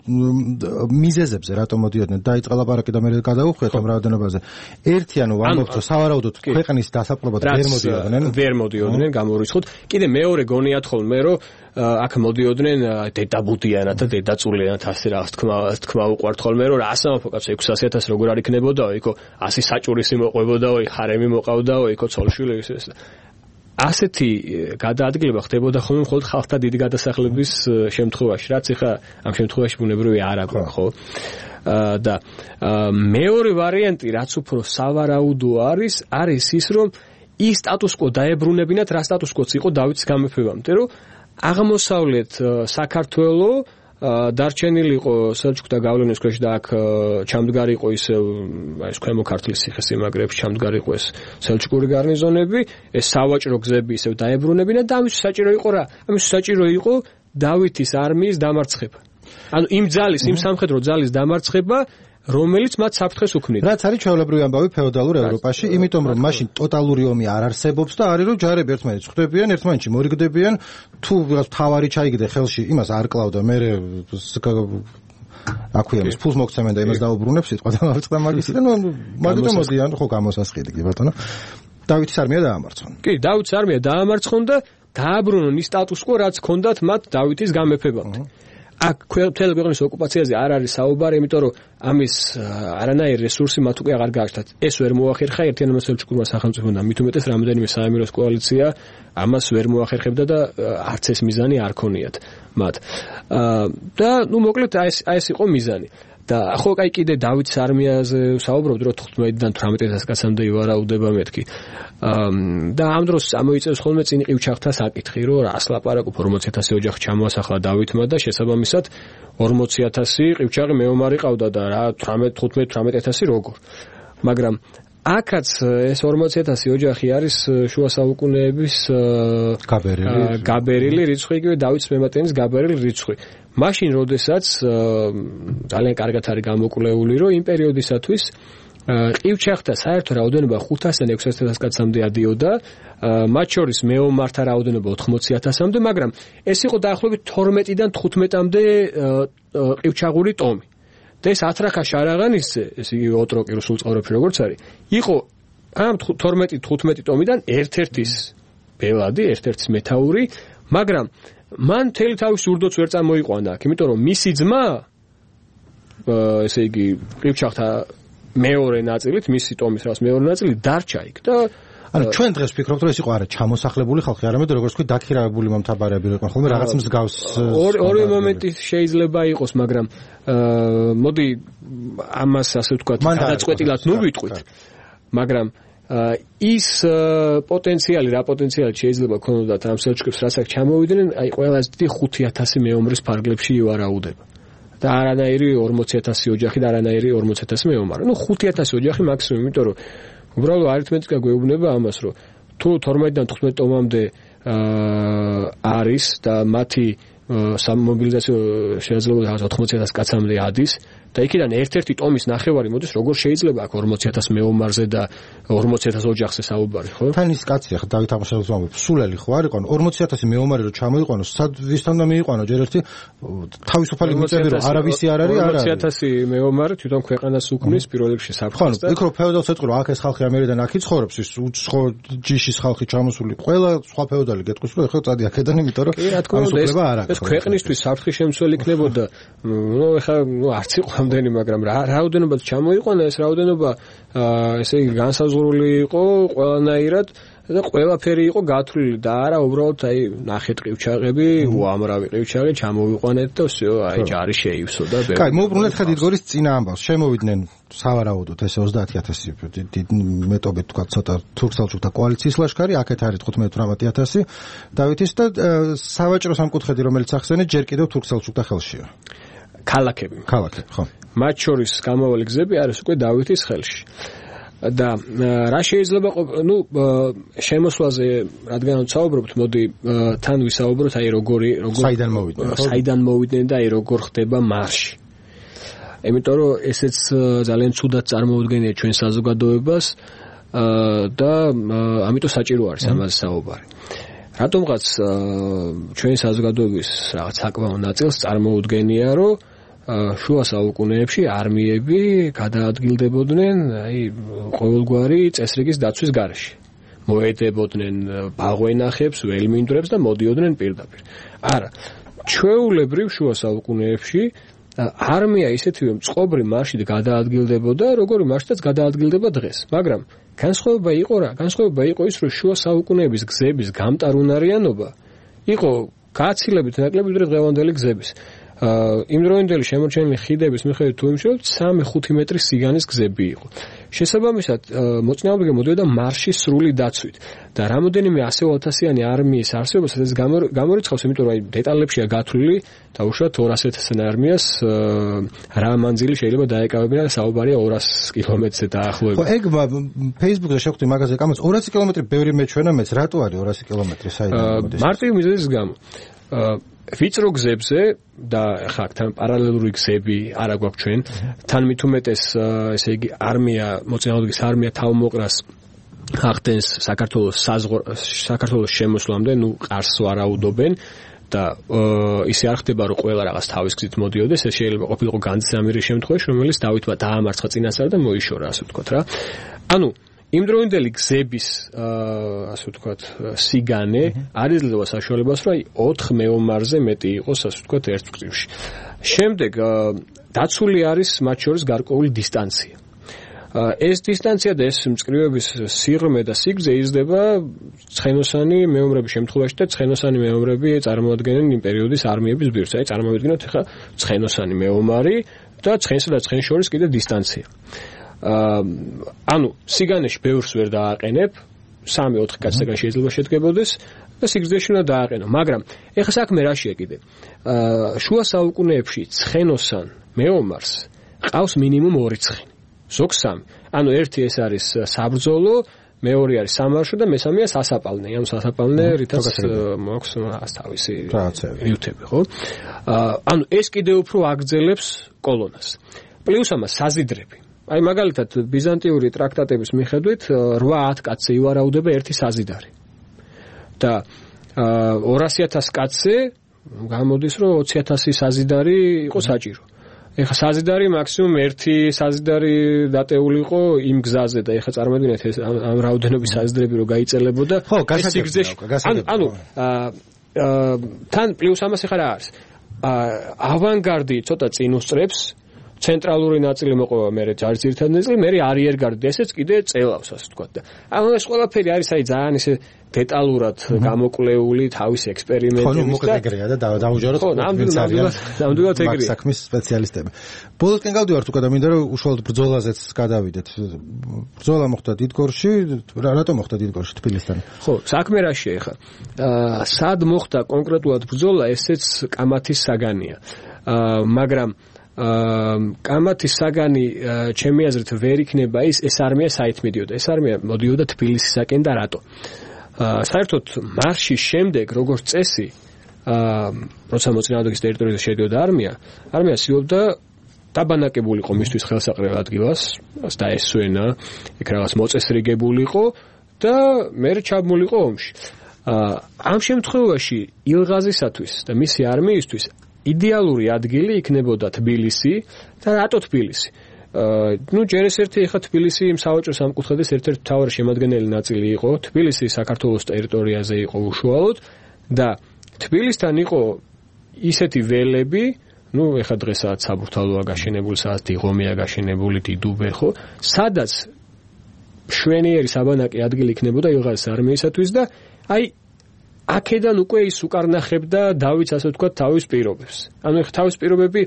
მიზეზებზე რატომ მოდიოდნენ, დაიწყა ლაპარაკი და მე გადაუხვიეთ ამ რაოდენობაზე. ერთი ანუ ვამბობთ, რომ სავარაუდოდ ქვეყნის დასაპყრობად ვერ მოდიოდნენ. ვერ მოდიოდნენ, გამორიცხოთ. კიდე მეორე გონიათ ხოლმე, რომ აქ მოდიოდნენ დედაბუდიანად და დედაწულიანად ასე რაღაც თქმა თქმა უყვართ ხოლმე, რომ რა სამეფო კაცო ექვსასი ათასი როგორ არ იქნებოდაო, იქო ასი საჭურისი მოყვებოდაო, ხარემი მოყავდაო, იქო ცოლშვილი ეს ასეთი გადაადგილება ხდებოდა ხოლმე მხოლოდ ხალხთა დიდი გადასახლების შემთხვევაში, რაც ეხა ამ შემთხვევაში ბუნებრივი არ აქვს, ხო? და მეორე ვარიანტი, რაც უფრო სავარაუდო არის, არის ის, რომ ის სტატუს-კვო დაებრუნებინათ, რა სტატუს-კვოც იყო დავითის გამეფებამდე, რომ აღმოსავლეთ საქართველო დარჩენილი იყო სელჩუკთა გავლენის ქვეშ და აქ ჩამდგარი იყო ისე ეს ქვემო ქართლის ციხესიმაგრეებში ჩამდგარი იყო ეს სელჩუკური გარნიზონები, ეს სავაჭრო გზები ისე დაებრუნებინა და ამის საჭირო იყო რა? ამის საჭირო იყო დავითის არმიის დამარცხება. ანუ იმ ძალის, იმ სამხედრო ძალის დამარცხება, რომელიც მათ საფრთხეს უქმნიდა. რაც არის ჩვეულებრივი ამბავი ფეოდალურ ევროპაში, იმიტომ რომ მაშინ ტოტალური ომი არ არსებობს და არის რომ ჯარები ერთმანეთს ხვდებიან, ერთმანეთში მორიგდებიან, თუ თავარი ჩაიგდე ხელში, იმას არ კლავდა, მე აქვია ის ფულს მოგცემენ და იმას დაუბრუნებს სიტყვა და მარცხდა მაგის და ნუ მაგით მოდიან, ხო გამოსასყიდი კი ბატონო. დავითის არმია დაამარცხონ. კი, დავითის არმია დაამარცხონ და დააბრუნონ ის სტატუს-კვო, რაც ჰქონდათ მათ დავითის გამეფებამდე. აქ მთელი ქვეყნის ოკუპაციაზე არ არის საუბარი, იმიტომ რომ ამის არანაირი რესურსი მათ უკვე აღარ გააჩნდათ. ეს ვერ მოახერხა ერთიანმა სელჩუკურმა სახელმწიფომ და მით უმეტეს რამდენიმე საამიროს კოალიცია ამას ვერ მოახერხებდა და არც ეს მიზანი არ ქონიათ მათ. და ნუ მოკლედ აი ეს აი ეს იყო მიზანი. და ხო კაი კიდე დავითის არმიაზე საუბრობთ, რომ თხუთმეტიდან თვრამეტ ათას კაცამდე ივარაუდება მეთქი. და ამ დროს ამოიწევს ხოლმე წინ ყივჩაღთა საკითხი, რომ რას ლაპარაკობ ორმოცი ათასი ოჯახი ჩამოასახლა დავითმა და შესაბამისად ორმოცი ათასი ყივჩაღი მეომარი ყავდა და რა თვრამეტ თხუთმეტ თვრამეტ ათასი როგორ. მაგრამ აქაც ეს ორმოცი ათასი ოჯახი არის შუა საუკუნეების გაბერილი გაბერილი რიცხვი, იგივე დავითის მემატენის გაბერილი რიცხვი. მაშინ, როდესაც ძალიან კარგად არის გამოკვლეული, რომ იმ პერიოდისათვის ყივჩაღთა საერთო რაოდენობა ხუთასიდან ექვსასი ათას კაცამდე ადიოდა, მათ შორის მეომართა რაოდენობა ოთხმოცი ათასამდე, მაგრამ ეს იყო დაახლოებით თორმეტიდან თხუთმეტამდე ყივჩაღური ტომი. და ეს ათრახა შარაღანისზე, ეს იგივე ოტროკი რუსულ წყაროებში როგორც არის, იყო ამ თორმეტი თხუთმეტი ტომიდან ერთ-ერთის ბელადი, ერთ-ერთის მეთაური, მაგრამ მან მთელი თავის ურდოც ვერ წამოიყვანა აქ, იმიტომ რომ მისი ძმა, ესე იგი, ყივჩაღთა მეორე ნაწილით, მისი ტომის რას მეორე ნაწილი დარჩა იქ და ანუ ჩვენ დღეს ვფიქრობთ, რომ ეს იყო არა ჩამოსახლებული ხალხი, არამედ როგორც ვთქვი, დაქირავებული მომთაბარეები იყო, ხოლმე რაღაც მსგავს ორი მომენტი შეიძლება იყოს, მაგრამ მოდი ამას ასე ვთქვათ, გადაწყვეტილად ნუ ვიტყვით. მაგრამ ის პოტენციალი, რა პოტენციალი შეიძლება ქონოდათ ამ სელჩუკებს, რასაც ჩამოვიდნენ, აი ყველაზე დიდი ხუთი ათასი მეომრის ფარგლებში ივარაუდება. და არანაირი ორმოცი ათასი ოჯახი და არანაირი ორმოცი ათასი მეომარი. ნუ ხუთი ათასი ოჯახი მაქსიმუმ, იმიტომ რომ უბრალოდ არითმეტიკა გვეუბნება ამას, რომ თუ თორმეტიდან თხუთმეტ ტომამდე არის და მათი სამმობილიზაციო შეიძლება რაღაც ოთხმოცი ათასი კაცამდე ადის და იქიდან ერთ-ერთი ტომის ნახევარი მოდის, როგორ შეიძლება აქ ორმოცი ათასი მეომარზე და ორმოცი ათასი ოჯახზე საუბარი, ხო? თან ის კაცი ახლა დავით აღმაშენებელს ვამბობ, სულელი ხო არ იყანო ორმოცი ათასი მეომარი რომ ჩამოიყვანოს, სად ვისთან და მიიყვანო, ჯერ ერთი თავისუფალი მიწები რომ არავისი არ არის, არ არის. ორმოცი ათასი მეომარი თვითონ ქვეყანას უქმნის პირველ რიგში საფრთხეს და იქ რო ფეოდალს ეწყრო, აქ ეს ხალხი ამერიდან აქ იცხოვრობს, ის უცხო ჯიშის ხალხი ჩამოსული, ყველა სხვა ფეოდალი გეტყვის რომ ეხლა წადი აქედან, იმიტომ რომ ამსუქლება არ აქვს. ეს ქვეყნისთვის საფრთხის შემცველი იქნებოდა, ნუ ეხლა ნუ არც იყო ამდენი, მაგრამ რა რაოდენობა ჩამოიყვანა, ეს რაოდენობა ესე იგი განსაზღვრული იყო ყველანაირად და ყველაფერი იყო გათვლილი და არა უბრალოდ აი ნახეთ ყივჩაღები, უამრავი ყივჩაღი ჩამოვიყვანეთ და всё, აი ჯარი შეივსო და ბერე. კაი, მოუბრუნეთ ხედიდგორის წინა ამბავს. შემოვიდნენ სავარაუდოდ ესე ოცდაათი ათასი მეტობით თქვა ცოტა თურქ-სელჩუკთა კოალიციის ლაშქარი, აქეთ არის თხუთმეტ ათი ათასი დავითის და სავაჭრო სამკუთხედი, რომელიც ახსენეთ, ჯერ კიდევ თურქ-სელჩუკთა ხელშია. ქალაქები. ქალაქები, ხო. მათ შორის გამავალი გზები არის უკვე დავითის ხელში. და რა შეიძლება ნუ შემოსვლაზე რადგან ვსაუბრობთ, მოდი თან ვისაუბროთ აი როგორი როგორ საიდან მოვიდნენ, საიდან მოვიდნენ და აი როგორ ხდება მარში. იმიტომ რომ ესეც ძალიან ცუდად წარმოუდგენია ჩვენ საზოგადოებას და ამიტომ საჭირო არის ამაზე საუბარი. რატომღაც ჩვენი საზოგადოების რაღაც საკმაო ნაწილს წარმოუდგენია, რომ შუა საუკუნეებში არმიები გადაადგილდებოდნენ აი ყოველგვარი წესრიგის დაცვის გარეშე. მოედებოდნენ ბაღვენახებს, ველმინდვრებს და მოდიოდნენ პირდაპირ. არა, ჩვეულებრივ შუა საუკუნეებში არმია ისეთივე მწყობრი მარშით გადაადგილდებოდა, როგორი მარშითაც გადაადგილდება დღეს. მაგრამ განსხვავება იყო რა? განსხვავება იყო ის, რომ შუა საუკუნეების გზების გამტარუნარიანობა იყო გააცილებით ნაკლები ვიდრე დღევანდელი გზების. იმდროინდელი შემორჩენილი ხიდების მიხედვით თუ იმშევთ სამი ხუთი მეტრის სიგანის გზები იყო. შესაბამისად, მოწინააღმდეგე მოდიოდა მარშის სრული დაცვით და რამოდენიმე ასეულ ათასიანი არმიის არსებობასაც ეს გამორიცხავს, იმიტომ რომ აი დეტალებშია გათვლილი და უშუალოდ ორასი ათასიან არმიას რა მანძილი შეიძლება დაეკავებინა და საუბარია ორასი კილომეტრზე დაახლოებით. ხო, ეგ Facebook-ზე შეხვდი მაგაზე კამას ორასი კილომეტრი ბევრი მეჩვენა მეც, რატო არის ორასი კილომეტრი საიდან მოდის? მარტივი მიზეზის გამო. ვიწრო გზებზე და ხა თან პარალელური გზები არ აგვაქვს ჩვენ, თან მით უმეტეს ესე იგი არმია, მოწინააღმდეგის არმია თავმოყრას ახდენს საქართველოს საქართველოს შემოსვლამდე, ნუ ყარს ვარაუდობენ და ისე არ ხდება, რომ ყველა რაღაც თავის გზით მოდიოდეს, ეს შეიძლება ყოფილიყო განძამირი შემთხვევაში, რომელიც დავითმა დაამარცხა წინასწარ და მოიშორა, ასე ვთქვათ რა. ანუ იმდროინდელი გზების ასე ვთქვათ სიგანე არ იძლევა საშუალებას, რომ აი ოთხ მეომარზე მეტი იყოს, ასე ვთქვათ, ერთ მკვრივში. შემდეგ დაცული არის მათ შორის გარკვეული დისტანცია. ეს დისტანცია და ეს მწკრივების სიღრმე და სიგრძე იზრდება ცხენოსანი მეომრების შემთხვევაში და ცხენოსანი მეომრები წარმოადგენენ იმ პერიოდის არმიების ბირთვს. აი წარმოვიდგინოთ ახლა ცხენოსანი მეომარი და ცხენსა და ცხენს შორის კიდე დისტანცია. ანუ სიგანეში ბევრს ვერ დააყენებ, სამი ოთხი კაცისგან შეიძლება შედგებოდეს და სიგრძეში უნდა დააყენო. მაგრამ ეხლა საქმე რაშია კიდე? შუა საუკუნეებში ცხენოსან მეომარს ყავს მინიმუმ ორი ცხენი. ზოგ სამი. ანუ ერთი ეს არის საბრძოლო, მეორე არის სამარშო და მესამეა სასაპალნე. ანუ სასაპალნე რითაც მოაქვს თავისი ნიუტები, ხო? ანუ ეს კიდე უფრო აგრძელებს კოლონას. პლუს ამას საზიდრები. აი მაგალითად ბიზანტიური ტრაქტატების მიხედვით რვა ათ კაცზე ივარაუდება ერთი საზიდარი. და ორასი ათასი კაცზე გამოდის, რომ ოცი ათასი საზიდარი იყო საჭირო. ეხლა საზიდარი მაქსიმუმ ერთი საზიდარი დატეული იყო იმ გზაზე და ეხლა წარმოვიდგინეთ ეს ამ რაოდენობის საზიდრები რო გაიწელებოდა ეს სიგრძეში. ანუ თან პლუს ამას ეხლა რა არის? ავანგარდი ცოტა წინ უსწრებს, ცენტრალური ნაწილი მოყვება მე ჯარის ერთად ნაწილი, მე არიერგარდი ესეც კიდე წელავს ასე ვთქვათ და ანუ ეს ყველაფერი არის აი ძალიან ისე დეტალურად გამოკვლეული თავის ექსპერიმენტების და ეგრეა და დაუჯეროთ ვინც არის ნამდვილად ეგრეა საქმის სპეციალისტები. ბოლოსკენ გავდივართ უკვე და მინდა რომ უშუალოდ ბრძოლაზეც გადავიდეთ. ბრძოლა მოხდა დიდგორში, რატომ მოხდა დიდგორში თბილისთან? ხო, საქმე რაშია ხა? აა სად მოხდა კონკრეტულად ბრძოლა, ესეც კამათის საგანია. აა მაგრამ აა კამათის საგანი ჩემი აზრით ვერ იქნება ის ეს არმია საით მიდიოდა. ეს არმია მოდიოდა თბილისისაკენ და რატო? აა საერთოდ მარშის შემდეგ როგორც წესი აა როცა მოწინააღმდეგის ტერიტორიაზე შედიოდა არმია, არმია ცდილობდა დაბანაკებულიყო მისთვის ხელსაყრელ ადგილას, დაესვენა, იქ რაღაც მოწესრიგებულიყო და მე ჩაბმულიყო ომში. აა ამ შემთხვევაში ილღაზისათვის და მისი არმიისთვის იდეალური ადგილი იქნებოდა თბილისი და რატო თბილისი? აა ნუ ჯერ ეს ერთი ხა თბილისი იმ სავაჭრო სამკუთხედის ერთ-ერთი მთავარი შემადგენელი ნაწილი იყო. თბილისი საქართველოს ტერიტორიაზე იყო უშუალოდ და თბილისთან იყო ისეთი ველები, ნუ ეხა დღესაც საბურთალოა გაშენებული, სადაც დიღომია გაშენებული, დიდუბე ხო, სადაც შვენიერი საბანაკი ადგილი იქნებოდა ილღაზის არმიისათვის და აი აქედან უკვე ის უკარნახებდა დავითს ასე ვთქვათ თავის პირობებს. ანუ ეხა თავის პირობები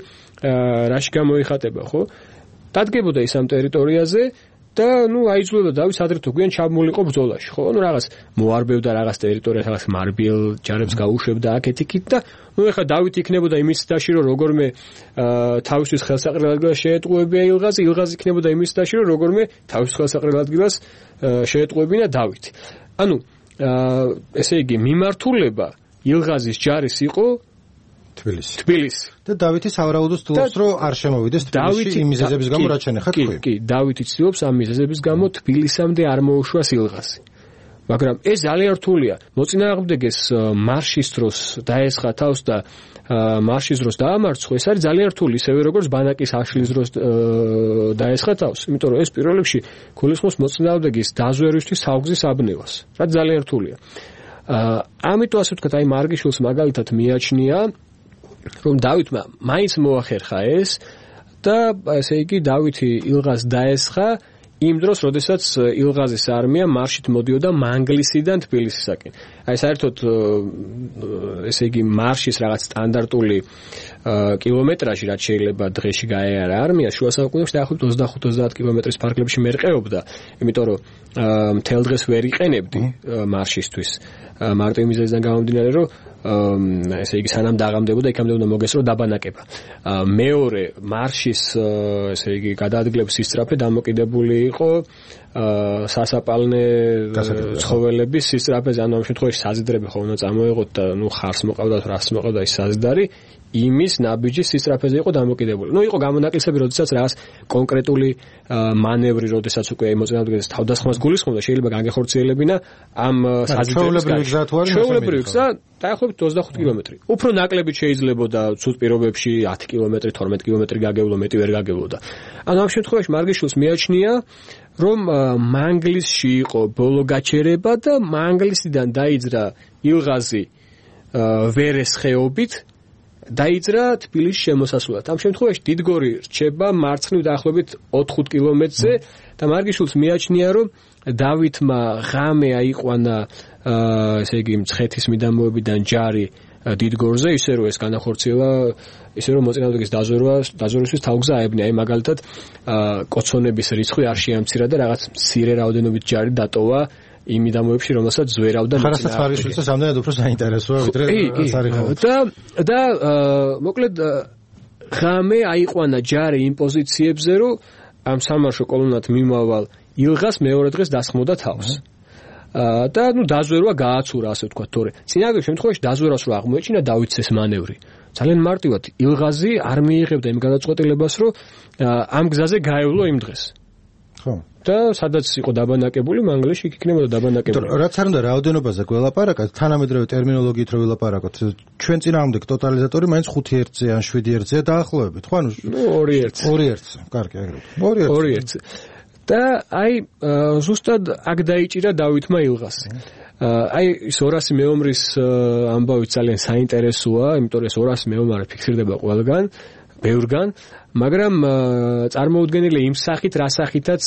რაში გამოიხატება, ხო? დადგებოდა ის ამ ტერიტორიაზე და ნუ აიძულებდა დავითს ადრე თუ გვიან ჩაბმულიყო ბრძოლაში, ხო? ნუ რაღაც მოარბევდა რაღაც ტერიტორიას, რაღაც მარბიელ ჯარებს გაუშვებდა აქეთ-იქით და ნუ ეხა დავით იქნებოდა იმის დაში, რომ როგორმე თავისთვის ხელსაყრელ ადგილას შეეტყუებია ილღაზი, ილღაზი იქნებოდა იმის დაში, რომ როგორმე თავის ხელსაყრელ ადგილას შეეტყუებინა დავითი. ანუ აა ესე იგი მიმართულება ილღაზის ჯარის იყო თბილისი. თბილისი. და დავითი სავარაუდოდ ცდილობს რომ არ შემოვიდეს თბილისში იმ მიზეზების გამო რაც შენახა თქვი. კი, კი, დავითი ცდილობს ამ მიზეზების გამო თბილისამდე არ მოუშვას ილღაზი. მაგრამ ეს ძალიან რთულია. მოწინააღმდეგეს მარშის დროს დაესხა თავს და მარშის დროს დაამარცხო, ეს არის ძალიან რთული, ისევე როგორც ბანაკის აშლის დროს დაესხა თავს, იმიტომ რომ ეს პირველ რიგში გულისხმობს მოწინააღმდეგის დაზვერვისთვის თავგზის აბნევას, რაც ძალიან რთულია. ამიტომ ასე ვთქვათ, აი მარგიშვილს მაგალითად მიაჩნია, რომ დავითმა მაინც მოახერხა ეს და ესე იგი დავითი ილღაზს დაესხა იმ დროს, როდესაც ილღაზის არმია მარშით მოდიოდა მანგლისიდან თბილისისაკენ. აი საერთოდ ესე იგი მარშის რაღაც სტანდარტული კილომეტრაჟი, რაც შეიძლება დღეში გაეარა არმია, შუა საუკუნეებში დაახლოებით ოცდახუთ ოცდაათ კილომეტრის ფარგლებში მერყეობდა, იმიტომ რომ მთელ დღეს ვერ იყენებდი მარშისთვის. მარტო იმ მიზეზიდან გამომდინარე, რომ ესე იგი სანამ დაღამდებოდა, იქამდე უნდა მოგესწრო დაბანაკება. მეორე მარშის ესე იგი გადაადგილების სისწრაფე დამოკიდებული იყო სასაპალნე ცხოველების სისწრაფეზე, ანუ ამ შემთხვევაში საზიდრები ხო უნდა წამოეღოთ და ნუ ხარს მოყავდათ, რას მოყავდა ის საზიდარი, იმის ნაბიჯის სისწრაფეზე იყო დამოკიდებული. ნუ იყო გამონაკლისები, როდესაც რაღაც კონკრეტული მანევრი, როდესაც უკვე მოწინააღმდეგეს თავდასხმას გულისხმობდა, შეიძლება განგეხორციელებინა ამ საზიდრების გზა. ჩვეულებრივი გზა დაახლოებით ოცდახუთ კილომეტრი. უფრო ნაკლებით შეიძლებოდა ცუდ პირობებში ათი კილომეტრი, თორმეტი კილომეტრი გაგევლო, მეტი ვერ გაგევლოდა. ანუ ამ შემთხვევაში მარგიშვილს მიაჩნია, რომ მანგლისში იყო ბოლო გაჩერება და მანგლისიდან დაიძრა ილღაზი ვერეს ხეობით დაიძრა თბილისის შემოსასვლელად. ამ შემთხვევაში დიდგორი რჩება მარცხნივ დაახლოებით ოთხ კილომეტრზე და მარგიშვილს მიაჩნია, რომ დავითმა ღამე აიყვანა ესე იგი მცხეთის მიდამოებიდან ჯარი დიდგორზე, ისე რომ ეს განახორციელა, ისე რომ მოწინააღმდეგის დაზვერვა, დაზვერვისთვის თავგზა აებია. აი მაგალითად კოცონების რიცხვი არ შეამცირა და რაღაც მცირე რაოდენობით ჯარი დატოვა იმ მიდამოებში, რომელსაც ზვერავდა მოწინააღმდეგე. ხარასთან მარგიშვილს ამდენად უფრო საინტერესოა, ვიდრე სარიხაო. და და მოკლედ ღამე აიყვანა ჯარი იმ პოზიციებზე, რომ ამ სამარშო კოლონად მიმავალ ილღას მეორე დღეს დასხმოდა თავს. და ნუ დაზვერვა გააცურა, ასე ვთქვათ, თორე წინააღმდეგ შემთხვევაში დაზვერვას რო აღმოეჩინა დავითს ეს მანევრი. ძალიან მარტივად ილღაზი არ მიიღებდა იმ გადაწყვეტილებას, რომ ამ გზაზე გაევლო იმ დღეს. ხო. და სადაც იყო დაბანაკებული, მანგლისში იქ იქნებოდა დაბანაკებული. რაც არ უნდა რაოდენობაზე გველაპარაკოთ, თანამედროვე ტერმინოლოგიით რო ვილაპარაკოთ, ჩვენ წინააღმდეგ ტოტალიზატორი მაინც ხუთი ერთზე ან შვიდი ერთზეა დაახლოებით, ხო? ანუ ორი ერთზე. ორი ერთზე. კარგი, ეგრევე. ორი ერთზე. და აი ზუსტად აქ დაიჭირა დავითმა ილღასი. აი ის ორასი მეომრის ამბავი ძალიან საინტერესოა, იმიტომ რომ ეს ორასი მეომარი ფიქსირდება ყველგან. ბევრგან, მაგრამ წარმოუდგენელი იმ სახით, რა სახითაც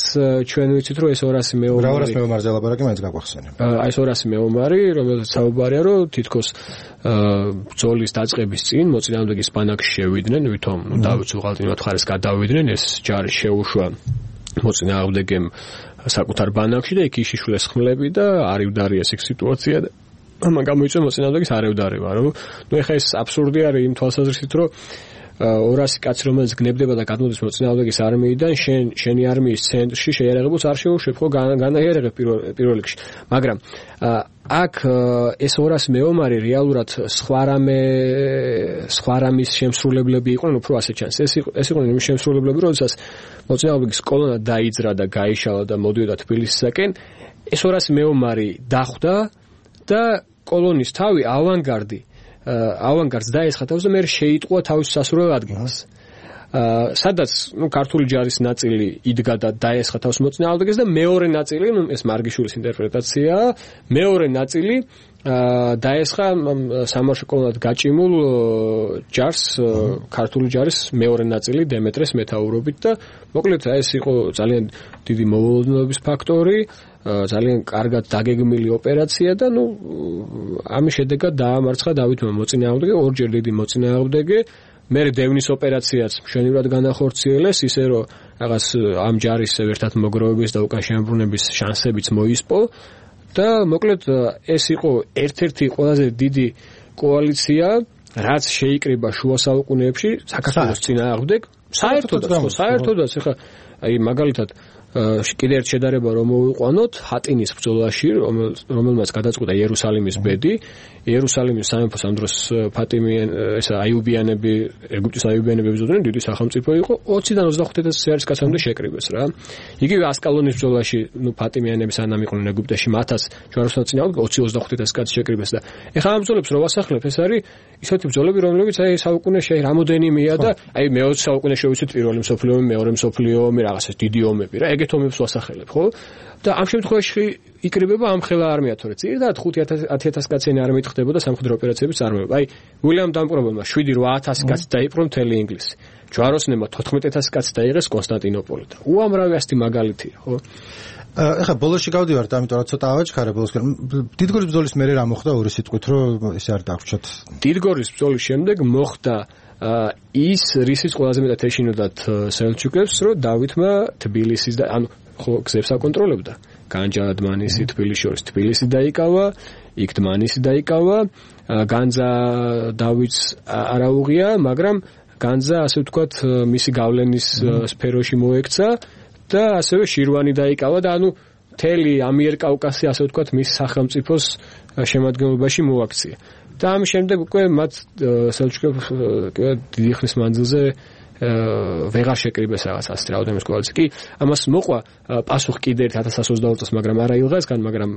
ჩვენ ვიცით, რომ ეს ორასი მეომარი. რა ორასი მეომარზე ლაპარაკი მაინც გაგვახსენე. აი ეს ორასი მეომარი, რომელსაც საუბარია, რომ თითქოს ბრძოლის დაწყების წინ მოწინააღმდეგის ბანაკში შევიდნენ, ვითომ ნუ დავით უღალტინოთ ხარეს გადავიდნენ, ეს ჯარი შეუშვა მოწინააღმდეგემ საკუთარ ბანაკში და იქ იშიშვლეს ხმლები და არივდარიეს იქ სიტუაცია და ამან გამოიწვია მოწინააღმდეგის არივდარება, რომ ნუ ეხა ეს აბსურდი არის იმ თვალსაზრისით, რომ ორასი კაცი რომელიც გნებდება და გადმოდის მოწინააღმდეგის არმიიდან შენ შენი არმიის ცენტრში შეიარაღებულს არ შეუშვებ ხო განაიარაღებ პირველ რიგში მაგრამ აქ ეს ორასი მეომარი რეალურად სხვა რამე სხვა რამის შემსრულებლები იყვნენ უფრო ასე ჩანს ეს ეს იყვნენ იმ შემსრულებლები როდესაც მოწინააღმდეგის კოლონა დაიძრა და გაიშალა და მოდიოდა თბილისისაკენ ეს ორასი მეომარი დახვდა და კოლონის თავი ავანგარდი ავანგარდს დაესხა თავს და მე შეიტყვა თავის სასურველ ადგილს. სადაც ნუ ქართული ჯარის ნაწილი იდგა და დაესხა თავს მოწინააღმდეგეს და მეორე ნაწილი, ნუ ეს მარგიშვილის ინტერპრეტაციაა, მეორე ნაწილი დაესხა სამარშო კოლონად გაჭიმულ ჯარს, ქართული ჯარის მეორე ნაწილი დემეტრეს მეთაურობით და მოკლედ ეს იყო ძალიან დიდი მოულოდნელობის ფაქტორი. ძალიან კარგად დაგეგმილი ოპერაცია და ნუ ამის შედეგად დაამარცხა დავითმა მოწინააღმდეგე ორჯერ დიდი მოწინააღმდეგე მე დევნის ოპერაციაც მშვენივრად განახორციელეს ისე რომ რაღაც ამ ჯარის ერთად მოგროვების და უკან შემოbrunების შანსებიც მოისპო და მოკლედ ეს იყო ერთ-ერთი ყველაზე დიდი კოალიცია რაც შეიკრიბა შუა საუკუნეებში საქართველოს წინააღმდეგ საერთოდაც ხო საერთოდაც ეხა აი მაგალითად კიდე ერთ შედარება რომ მოვიყვანოთ ჰატინის ბრძოლაში რომელმაც გადაწყვიტა იერუსალიმის ბედი იერუსალიმის სამეფოს ამ დროს ფატიმიან ესა აიუბიანები ეგვიპტის აიუბიანები ებრძოდნენ დიდი სახელმწიფო იყო ოციდან ოცდახუთ ათასი ჯარისკაცამდე შეკრიბეს რა იგივე ასკალონის ბრძოლაში ნუ ფატიმიანები სანამ იყვნენ ეგვიპტეში მათაც ჯვაროსნად წინააღმდეგ ოცი ოცდახუთ ათასი კაცი შეკრიბეს და ეხლა ამ ბრძოლებს რო ვასახლებ ეს არის ისეთი ბრძოლები რომლებიც აი საუკუნეში რამოდენიმეა და აი მეოცე საუკუნეში ვიცით პირველი მსოფლიო ომი მეორე მსოფლიო ომი რაღაცა დიდი ომები რა ეგეთ ომებს ვასახელებ ხო და ამ შემთხვევაში იკრიბება ამ ხელა არმია თორე ზირდად ხუთი ათი კაციანი არმიით ხდებოდა სამხედრო ოპერაციების წარმოება აი უილიამ დამპყრობელმა შვიდი რვა ათასი კაცი დაიპყრო მთელი ინგლისი ჯვაროსნებმა თოთხმეტ ათასი კაცი დაიღეს კონსტანტინოპოლიდან უამრავი ასეთი მაგალითია ხო ეხლა ბოლოში გავდივართ ამიტომ რა ცოტა ავაჩქარე ბოლოსკენ დიდგორის ბრძოლის მერე რა მოხდა ორი სიტყვით რომ ესე არ დაგვრჩათ დიდგორის ბრძოლის შემდეგ მოხდა ის რისიც ყველაზე მეტად ეშინოდათ სელჩუკებს რომ დავითმა თბილისის და ანუ ხო გზებს აკონტროლებდა განჯა დმანისი თბილისში შორის თბილისი დაიკავა იქ დმანისი დაიკავა განძა დავითს არ აუღია მაგრამ განძა ასე ვთქვათ მისი გავლენის სფეროში მოექცა და ასევე შირვანი დაიკავა და ანუ მთელი ამიერკავკასი ასე ვთქვათ მის სახელმწიფოს შემადგენლობაში მოაქცია და ამ შემდეგ უკვე მათ სელჩუკებს დიდი ხნის მანძილზე ვეღარ შეკრიბეს რაღაც ასეთ რაოდენობის კოალიცია. კი, ამას მოყვა პასუხი კიდე ერთ ათას ოცდაოთხ წელს, მაგრამ არა ილღასგან, მაგრამ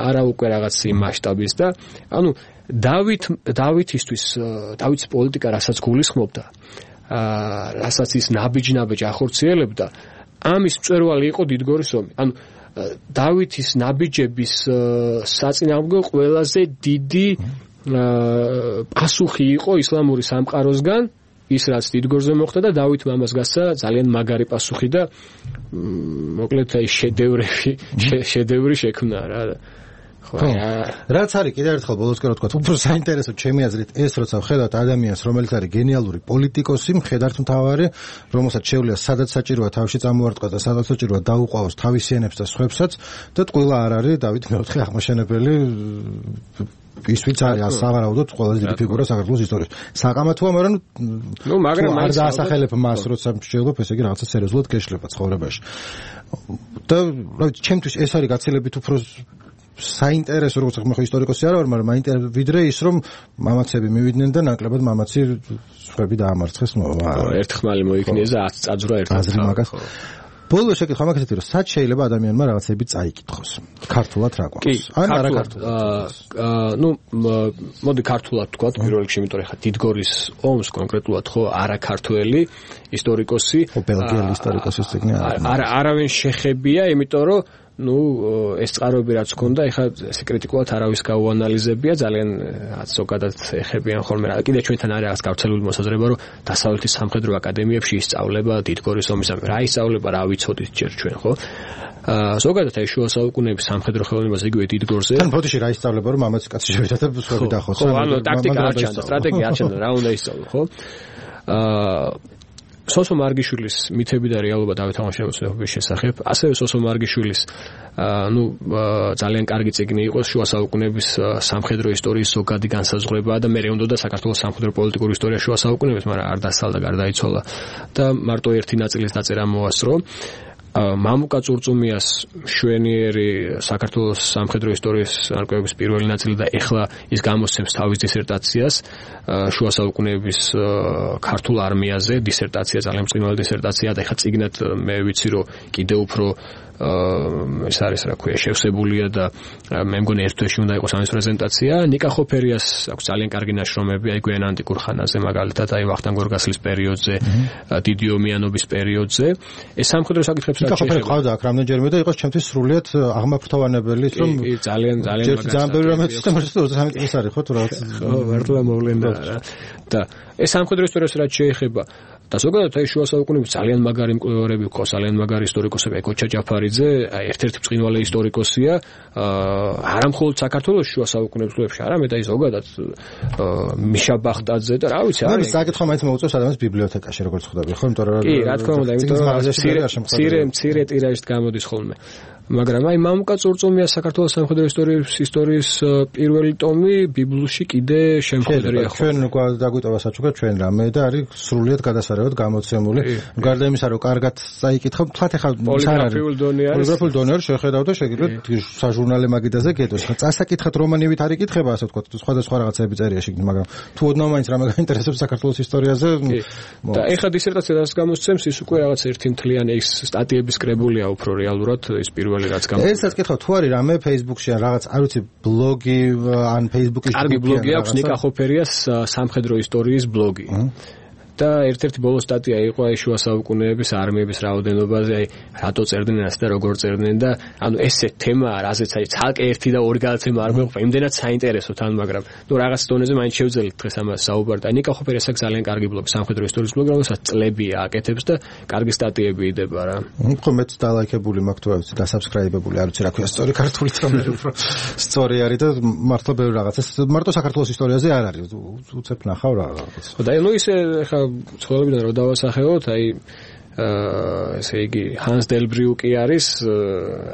არა უკვე რაღაც იმ მასშტაბის და ანუ დავით დავითისთვის დავითის პოლიტიკა რასაც გულისხმობდა, რასაც ის ნაბიჯ-ნაბიჯ ახორციელებდა, ამის მწვერვალი იყო დიდგორის ომი. ანუ დავითის ნაბიჯების საწინააღმდეგო ყველაზე დიდი პასუხი იყო ისლამური სამყაროსგან ის რაც დიდგორზე მოხდა და დავითმა ამას გასცა ძალიან მაგარი პასუხი და მოკლედ აი შედევრები შედევრი შექმნა რა ხო რაც არის კიდევ ერთხელ ბოლოსკენ რა თქვა უფრო საინტერესო ჩემი აზრით ეს როცა ვხედავთ ადამიანს რომელიც არის გენიალური პოლიტიკოსი მხედართ მთავარი რომელსაც შეუძლია სადაც საჭიროა თავში წამოარტყას და სადაც საჭიროა დაუყავოს თავისიანებს და სხვებსაც და ტყუილა არ არის დავით მეოთხე აღმაშენებელი ის ვიც არის სავარაუდოდ ყველაზე დიდი ფიგურა საქართველოს ისტორიაში. საყამათოა, მაგრამ ნუ მაგრამ არ დაასახელებ მას, როცა შეიძლება ესე იგი რაღაცა სერიოზულად გეშლება ცხოვრებაში. და რა ვიცი, ჩემთვის ეს არის გაცილებით უფრო საინტერესო, როგორც ახლა ხო ისტორიკოსი არ ვარ, მაგრამ მაინტერესებს ვიდრე ის, რომ მამაცები მივიდნენ და ნაკლებად მამაცი სხვები დაამარცხეს. ერთხმალი მოიქნიეს და ათი წაძვრა ერთად. ბოლოს შეკითხვა მაგასეთი რომ სად შეიძლება ადამიანმა რაღაცები წაიკითხოს ქართულად რა გვაქვს ან არა ქართულად აა ნუ მოდი ქართულად თქვა პირველ რიგში იმიტომ რომ ხა დიდგორის ომს კონკრეტულად ხო არა ქართველი ისტორიკოსი ბელგიელი ისტორიკოსის ციგნი არა არავინ შეხებია იმიტომ რომ ნუ ეს წყაროები რაც ჰქონდა, ეხლა ესე კრიტიკულად არავის გაუანალიზებია, ძალიან ზოგადად ეხებიან ხოლმე რა. კიდე ჩვენთან არის რაღაც გავრცელებული მოსაზრება, რომ დასავლეთის სამხედრო აკადემიებში ისწავლება დიდგორის ომის რა ისწავლება, რა ვიცოდით ჯერ ჩვენ, ხო? აა ზოგადად აი შუა საუკუნეების სამხედრო ხელოვნებას იგივე დიდგორზე. თან ბოდიში რა ისწავლება, რომ ამაც კაცი შევიდა და სხვები დახოს. ხო, ანუ ტაქტიკა არ ჩანდა, სტრატეგია არ ჩანდა, რა უნდა ისწავლო, ხო? აა სოსო მარგიშვილის მითები და რეალობა დავით აღმაშენებლის შესახებ, ასევე სოსო მარგიშვილის ნუ ძალიან კარგი წიგნი იყო შუა საუკუნეების სამხედრო ისტორიის ზოგადი განსაზღვრება და მე უნდა საქართველოს სამხედრო პოლიტიკური ისტორია შუა საუკუნეების, მაგრამ არ დასალდა, გარდაიცვალა და მარტო ერთი ნაწილის დაწერა მოასწრო. მამუკა წურწუმიას შვენიერი საქართველოს სამხედრო ისტორიის არკვევების პირველი ნაწილი და ეხლა ის გამოსცემს თავის დისერტაციას შუა საუკუნეების ქართულ არმიაზე, დისერტაცია ძალიან მწვავე დისერტაცია და ეხლა წიგნად მე ვიცი რომ კიდევ უფრო ეს არის რა ქვია შევსებულია და მე მგონი ერთ თვეში უნდა იყოს ამის პრეზენტაცია. ნიკა ხოფერიას აქვს ძალიან კარგი ნაშრომები აი გვიან ანტიკურ ხანაზე, მაგალითად აი ვახტანგ გორგასლის პერიოდზე, დიდი ომიანობის პერიოდზე. ეს სამხედრო საკითხებს რაც შეიძლება ყავდა აქ რამდენჯერმე და იყოს ჩემთვის სრულიად აღმაფრთოვანებელი, რომ ძალიან ძალიან ძალიან ბევრი რამე სისტემაში ოცდასამი წლის არის ხო თუ რა. ხო, მართლა მოვლენდა რა. და ეს სამხედრო ისტორიას რაც შეეხება და ზოგადად აი შუა საუკუნეების ძალიან მაგარი მკვლევარები გქონს, ძალიან მაგარი ისტორიკოსები, კოჩა ჯაფარიძე, აი ერთ-ერთი ბრწყინვალე ისტორიკოსია, არა მხოლოდ საქართველოს შუა საუკუნეების კვლევებში, არამედ აი ზოგადად მიშა ბახტაძე და რა ვიცი, არის საკითხო მაინც მოუწევს ადამიანს ბიბლიოთეკაში როგორც ხვდები, ხო, იმიტომ რომ კი, რა თქმა უნდა, იმიტომ რომ მცირე მცირე ტირაჟით გამოდის ხოლმე. მაგრამ აი მამუკა წურწუმია საქართველოს სამხედრო ისტორიის ისტორიის პირველი ტომი ბიბლიაში კიდე შემოხვედრია ხო. ჩვენ დაგვიტოვა საჩუქრა ჩვენ რამე და არის სრულიად გადასარევად გამოცემული. გარდა იმისა, რომ კარგად წაიკითხავ, თქვათ ახლა პოლიგრაფიულ დონე არის. პოლიგრაფიულ დონე არის შეხედავ და შეგიძლიათ საჟურნალე მაგიდაზე გეტოს. წასაკითხად რომანივით არ იკითხება, ასე ვთქვათ, სხვადასხვა რაღაცები წერია შეგნით, მაგრამ თუ ოდნავ მაინც რამე გაინტერესებს საქართველოს ისტორიაზე და ეხლა დისერტაცია რაც გამოსცემს, ის უკვე რაღაც ერთი მთლიანი ეს სტატიების კრებულია უფრო რეალურად ის პირველი ესაც კითხავ თუ არის რამე Facebook-ში ან რაღაც არ ვიცი ბლოგი ან Facebook-ის კარგი ბლოგი აქვს ნიკა ხოფერიას სამხედრო ისტორიის ბლოგი. და ერთ-ერთი ბოლო სტატია იყო აი შუა საუკუნეების არმიების რაოდენობაზე, აი რატო წერდნენ ასე და როგორ წერდნენ და ანუ ესე თემაა, რაზეც აი ცალკე ერთი და ორი გადაცემა არ მეყოფა, იმდენად საინტერესო თან, მაგრამ ნუ რაღაც დონეზე მაინც შევძელით დღეს ამას საუბარი. და ნიკა ხოფერიას აქვს ძალიან კარგი ბლოგი, სამხედრო ისტორიის ბლოგი, რომელსაც წლებია აკეთებს და კარგი სტატიები იდება რა. ხო მეც დალაიქებული მაქვს თუ არის დასაბსკრაიბებული, არ ვიცი რა ქვია სწორი ქართულით რომ უფრო სწორი არის და მართლა ბევრი რაღაცას მარტო საქართველოს ისტორიაზე არ არის, უცებ ნახავ რაღაც. ხო და ნუ ისე ხა ცხოვრებიდან რო დავასახელოთ, აი აა ესე იგი ჰანს დელბრიუკი არის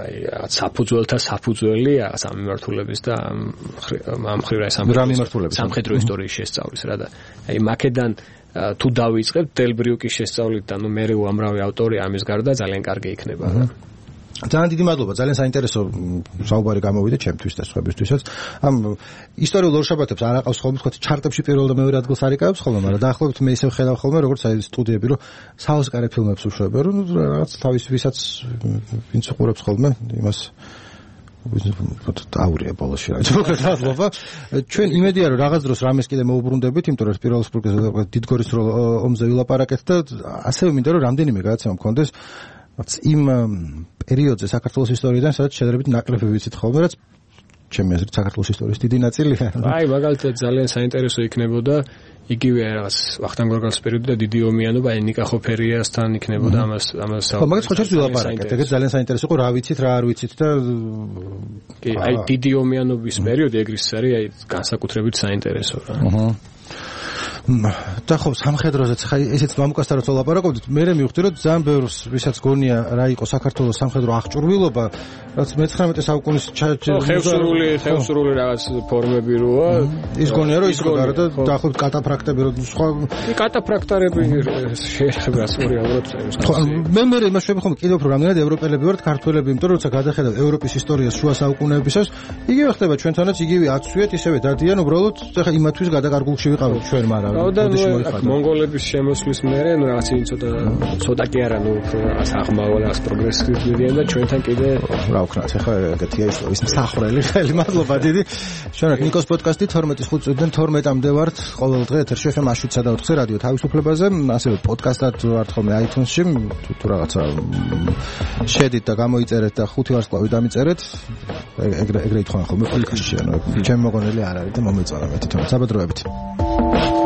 აი რაღაც საფუძველთა საფუძველი რაღაც ამ მიმართულების და ამ ხრივ რა სამხედრო ისტორიის შესწავლის რა და აი მაკედან თუ დავიწყებთ დელბრიუკის შესწავლით და ნუ მე უამრავი ავტორი ამის გარდა ძალიან კარგი იქნება რა. ძალიან დიდი მადლობა, ძალიან საინტერესო საუბარი გამოვიდა ჩემთვის და სხვებისთვისაც. ამ ისტორიულ ორშაბათებს არ აყავს ხოლმე, თქვა ჩარტებში პირველ და მეორე ადგილს არ იკავებს ხოლმე, მაგრამ დაახლოებით მე ისევ ხედავ ხოლმე, როგორც აი სტუდიები, რომ საოსკარე ფილმებს უშვებენ, რომ რაღაც თავის ვისაც ვინც უყურებს ხოლმე, იმას აურია ბოლოში რა. მადლობა. ჩვენ იმედია რომ რაღაც დროს რამეს კიდე მოუბრუნდებით, იმიტომ რომ სპირალოსპურგეს დიდგორის ომზე ვილაპარაკეთ და ასევე მინდა რომ რამდენიმე გადაცემა მქონდეს იმ პერიოდზე საქართველოს ისტორიიდან, სადაც შედარებით ნაკლები ვიცით ხოლმე, რაც ჩემი აზრით საქართველოს ისტორიის დიდი ნაწილია. აი, მაგალითად ძალიან საინტერესო იქნებოდა იგივე რაღაც ვახტანგ გორგასლის პერიოდი და დიდი ომიანობა, აი ნიკა ხოფერიასთან იქნებოდა ამას ამას საუბარი. ხო, მაგას ხო შეიძლება ვილაპარაკეთ. ეგეც ძალიან საინტერესო იყო, რა ვიცით, რა არ ვიცით და კი, აი დიდი ომიანობის პერიოდი ეგრე ის არის, აი განსაკუთრებით საინტერესო რა. აჰა. და ხო სამხედროზეც ხა ესეც მამუკასთან როცა ვლაპარაკობდით, მე მივხვდი რომ ძალიან ბევრს ვისაც გონია რა იყო საქართველოს სამხედრო აღჭურვილობა, რაც მეცხრამეტე საუკუნის ხევსურული ხევსურული რაღაც ფორმები როა, ის გონია რომ ის გონია და დაახლოებით კატაფრაქტები რო სხვა კატაფრაქტარები შეიძლება სწორი ალბათ ეს. მე მე იმას შვები ხომ კიდევ უფრო რამდენად ევროპელები ვართ ქართველები, იმიტომ რომ როცა გადახედავ ევროპის ისტორიას შუა საუკუნეებისას, იგივე ხდება ჩვენთანაც, იგივე აცვიეთ, ისევე დადიან, უბრალოდ ეხა იმათვის გადაკარგულში ვიყავით ჩვენ, მაგრამ და მონღოლების შემოსვლის მერე ნუ რაღაც ის ცოტა ცოტა კი არა ნუ რაღაც აღმავალ რაღაც პროგრესივდიან და ჩვენთან კიდე რა ვქნათ ახლა ეგეთია ის მსახრელი ხელი მადლობა დიდი შენად ნიკოს პოდკასტი თორმეტი ხუთი წუთიდან თორმეტამდე ვართ ყოველ დღე ეთერში ეფ ემ შვიდსა და ოთხზე რადიო თავისუფლებაზე ასევე პოდკასტად ვართ ხოლმე აიტუნსში თუ რაღაცა შედით და გამოიწერეთ და ხუთი ვარსკვლავი დამიწერეთ ეგრე ეგრე ითხოვენ ხოლმე პოდკასტში ანუ ჩემი მოგონილი არ არის და მომეწონა მე თვითონ საბადროებით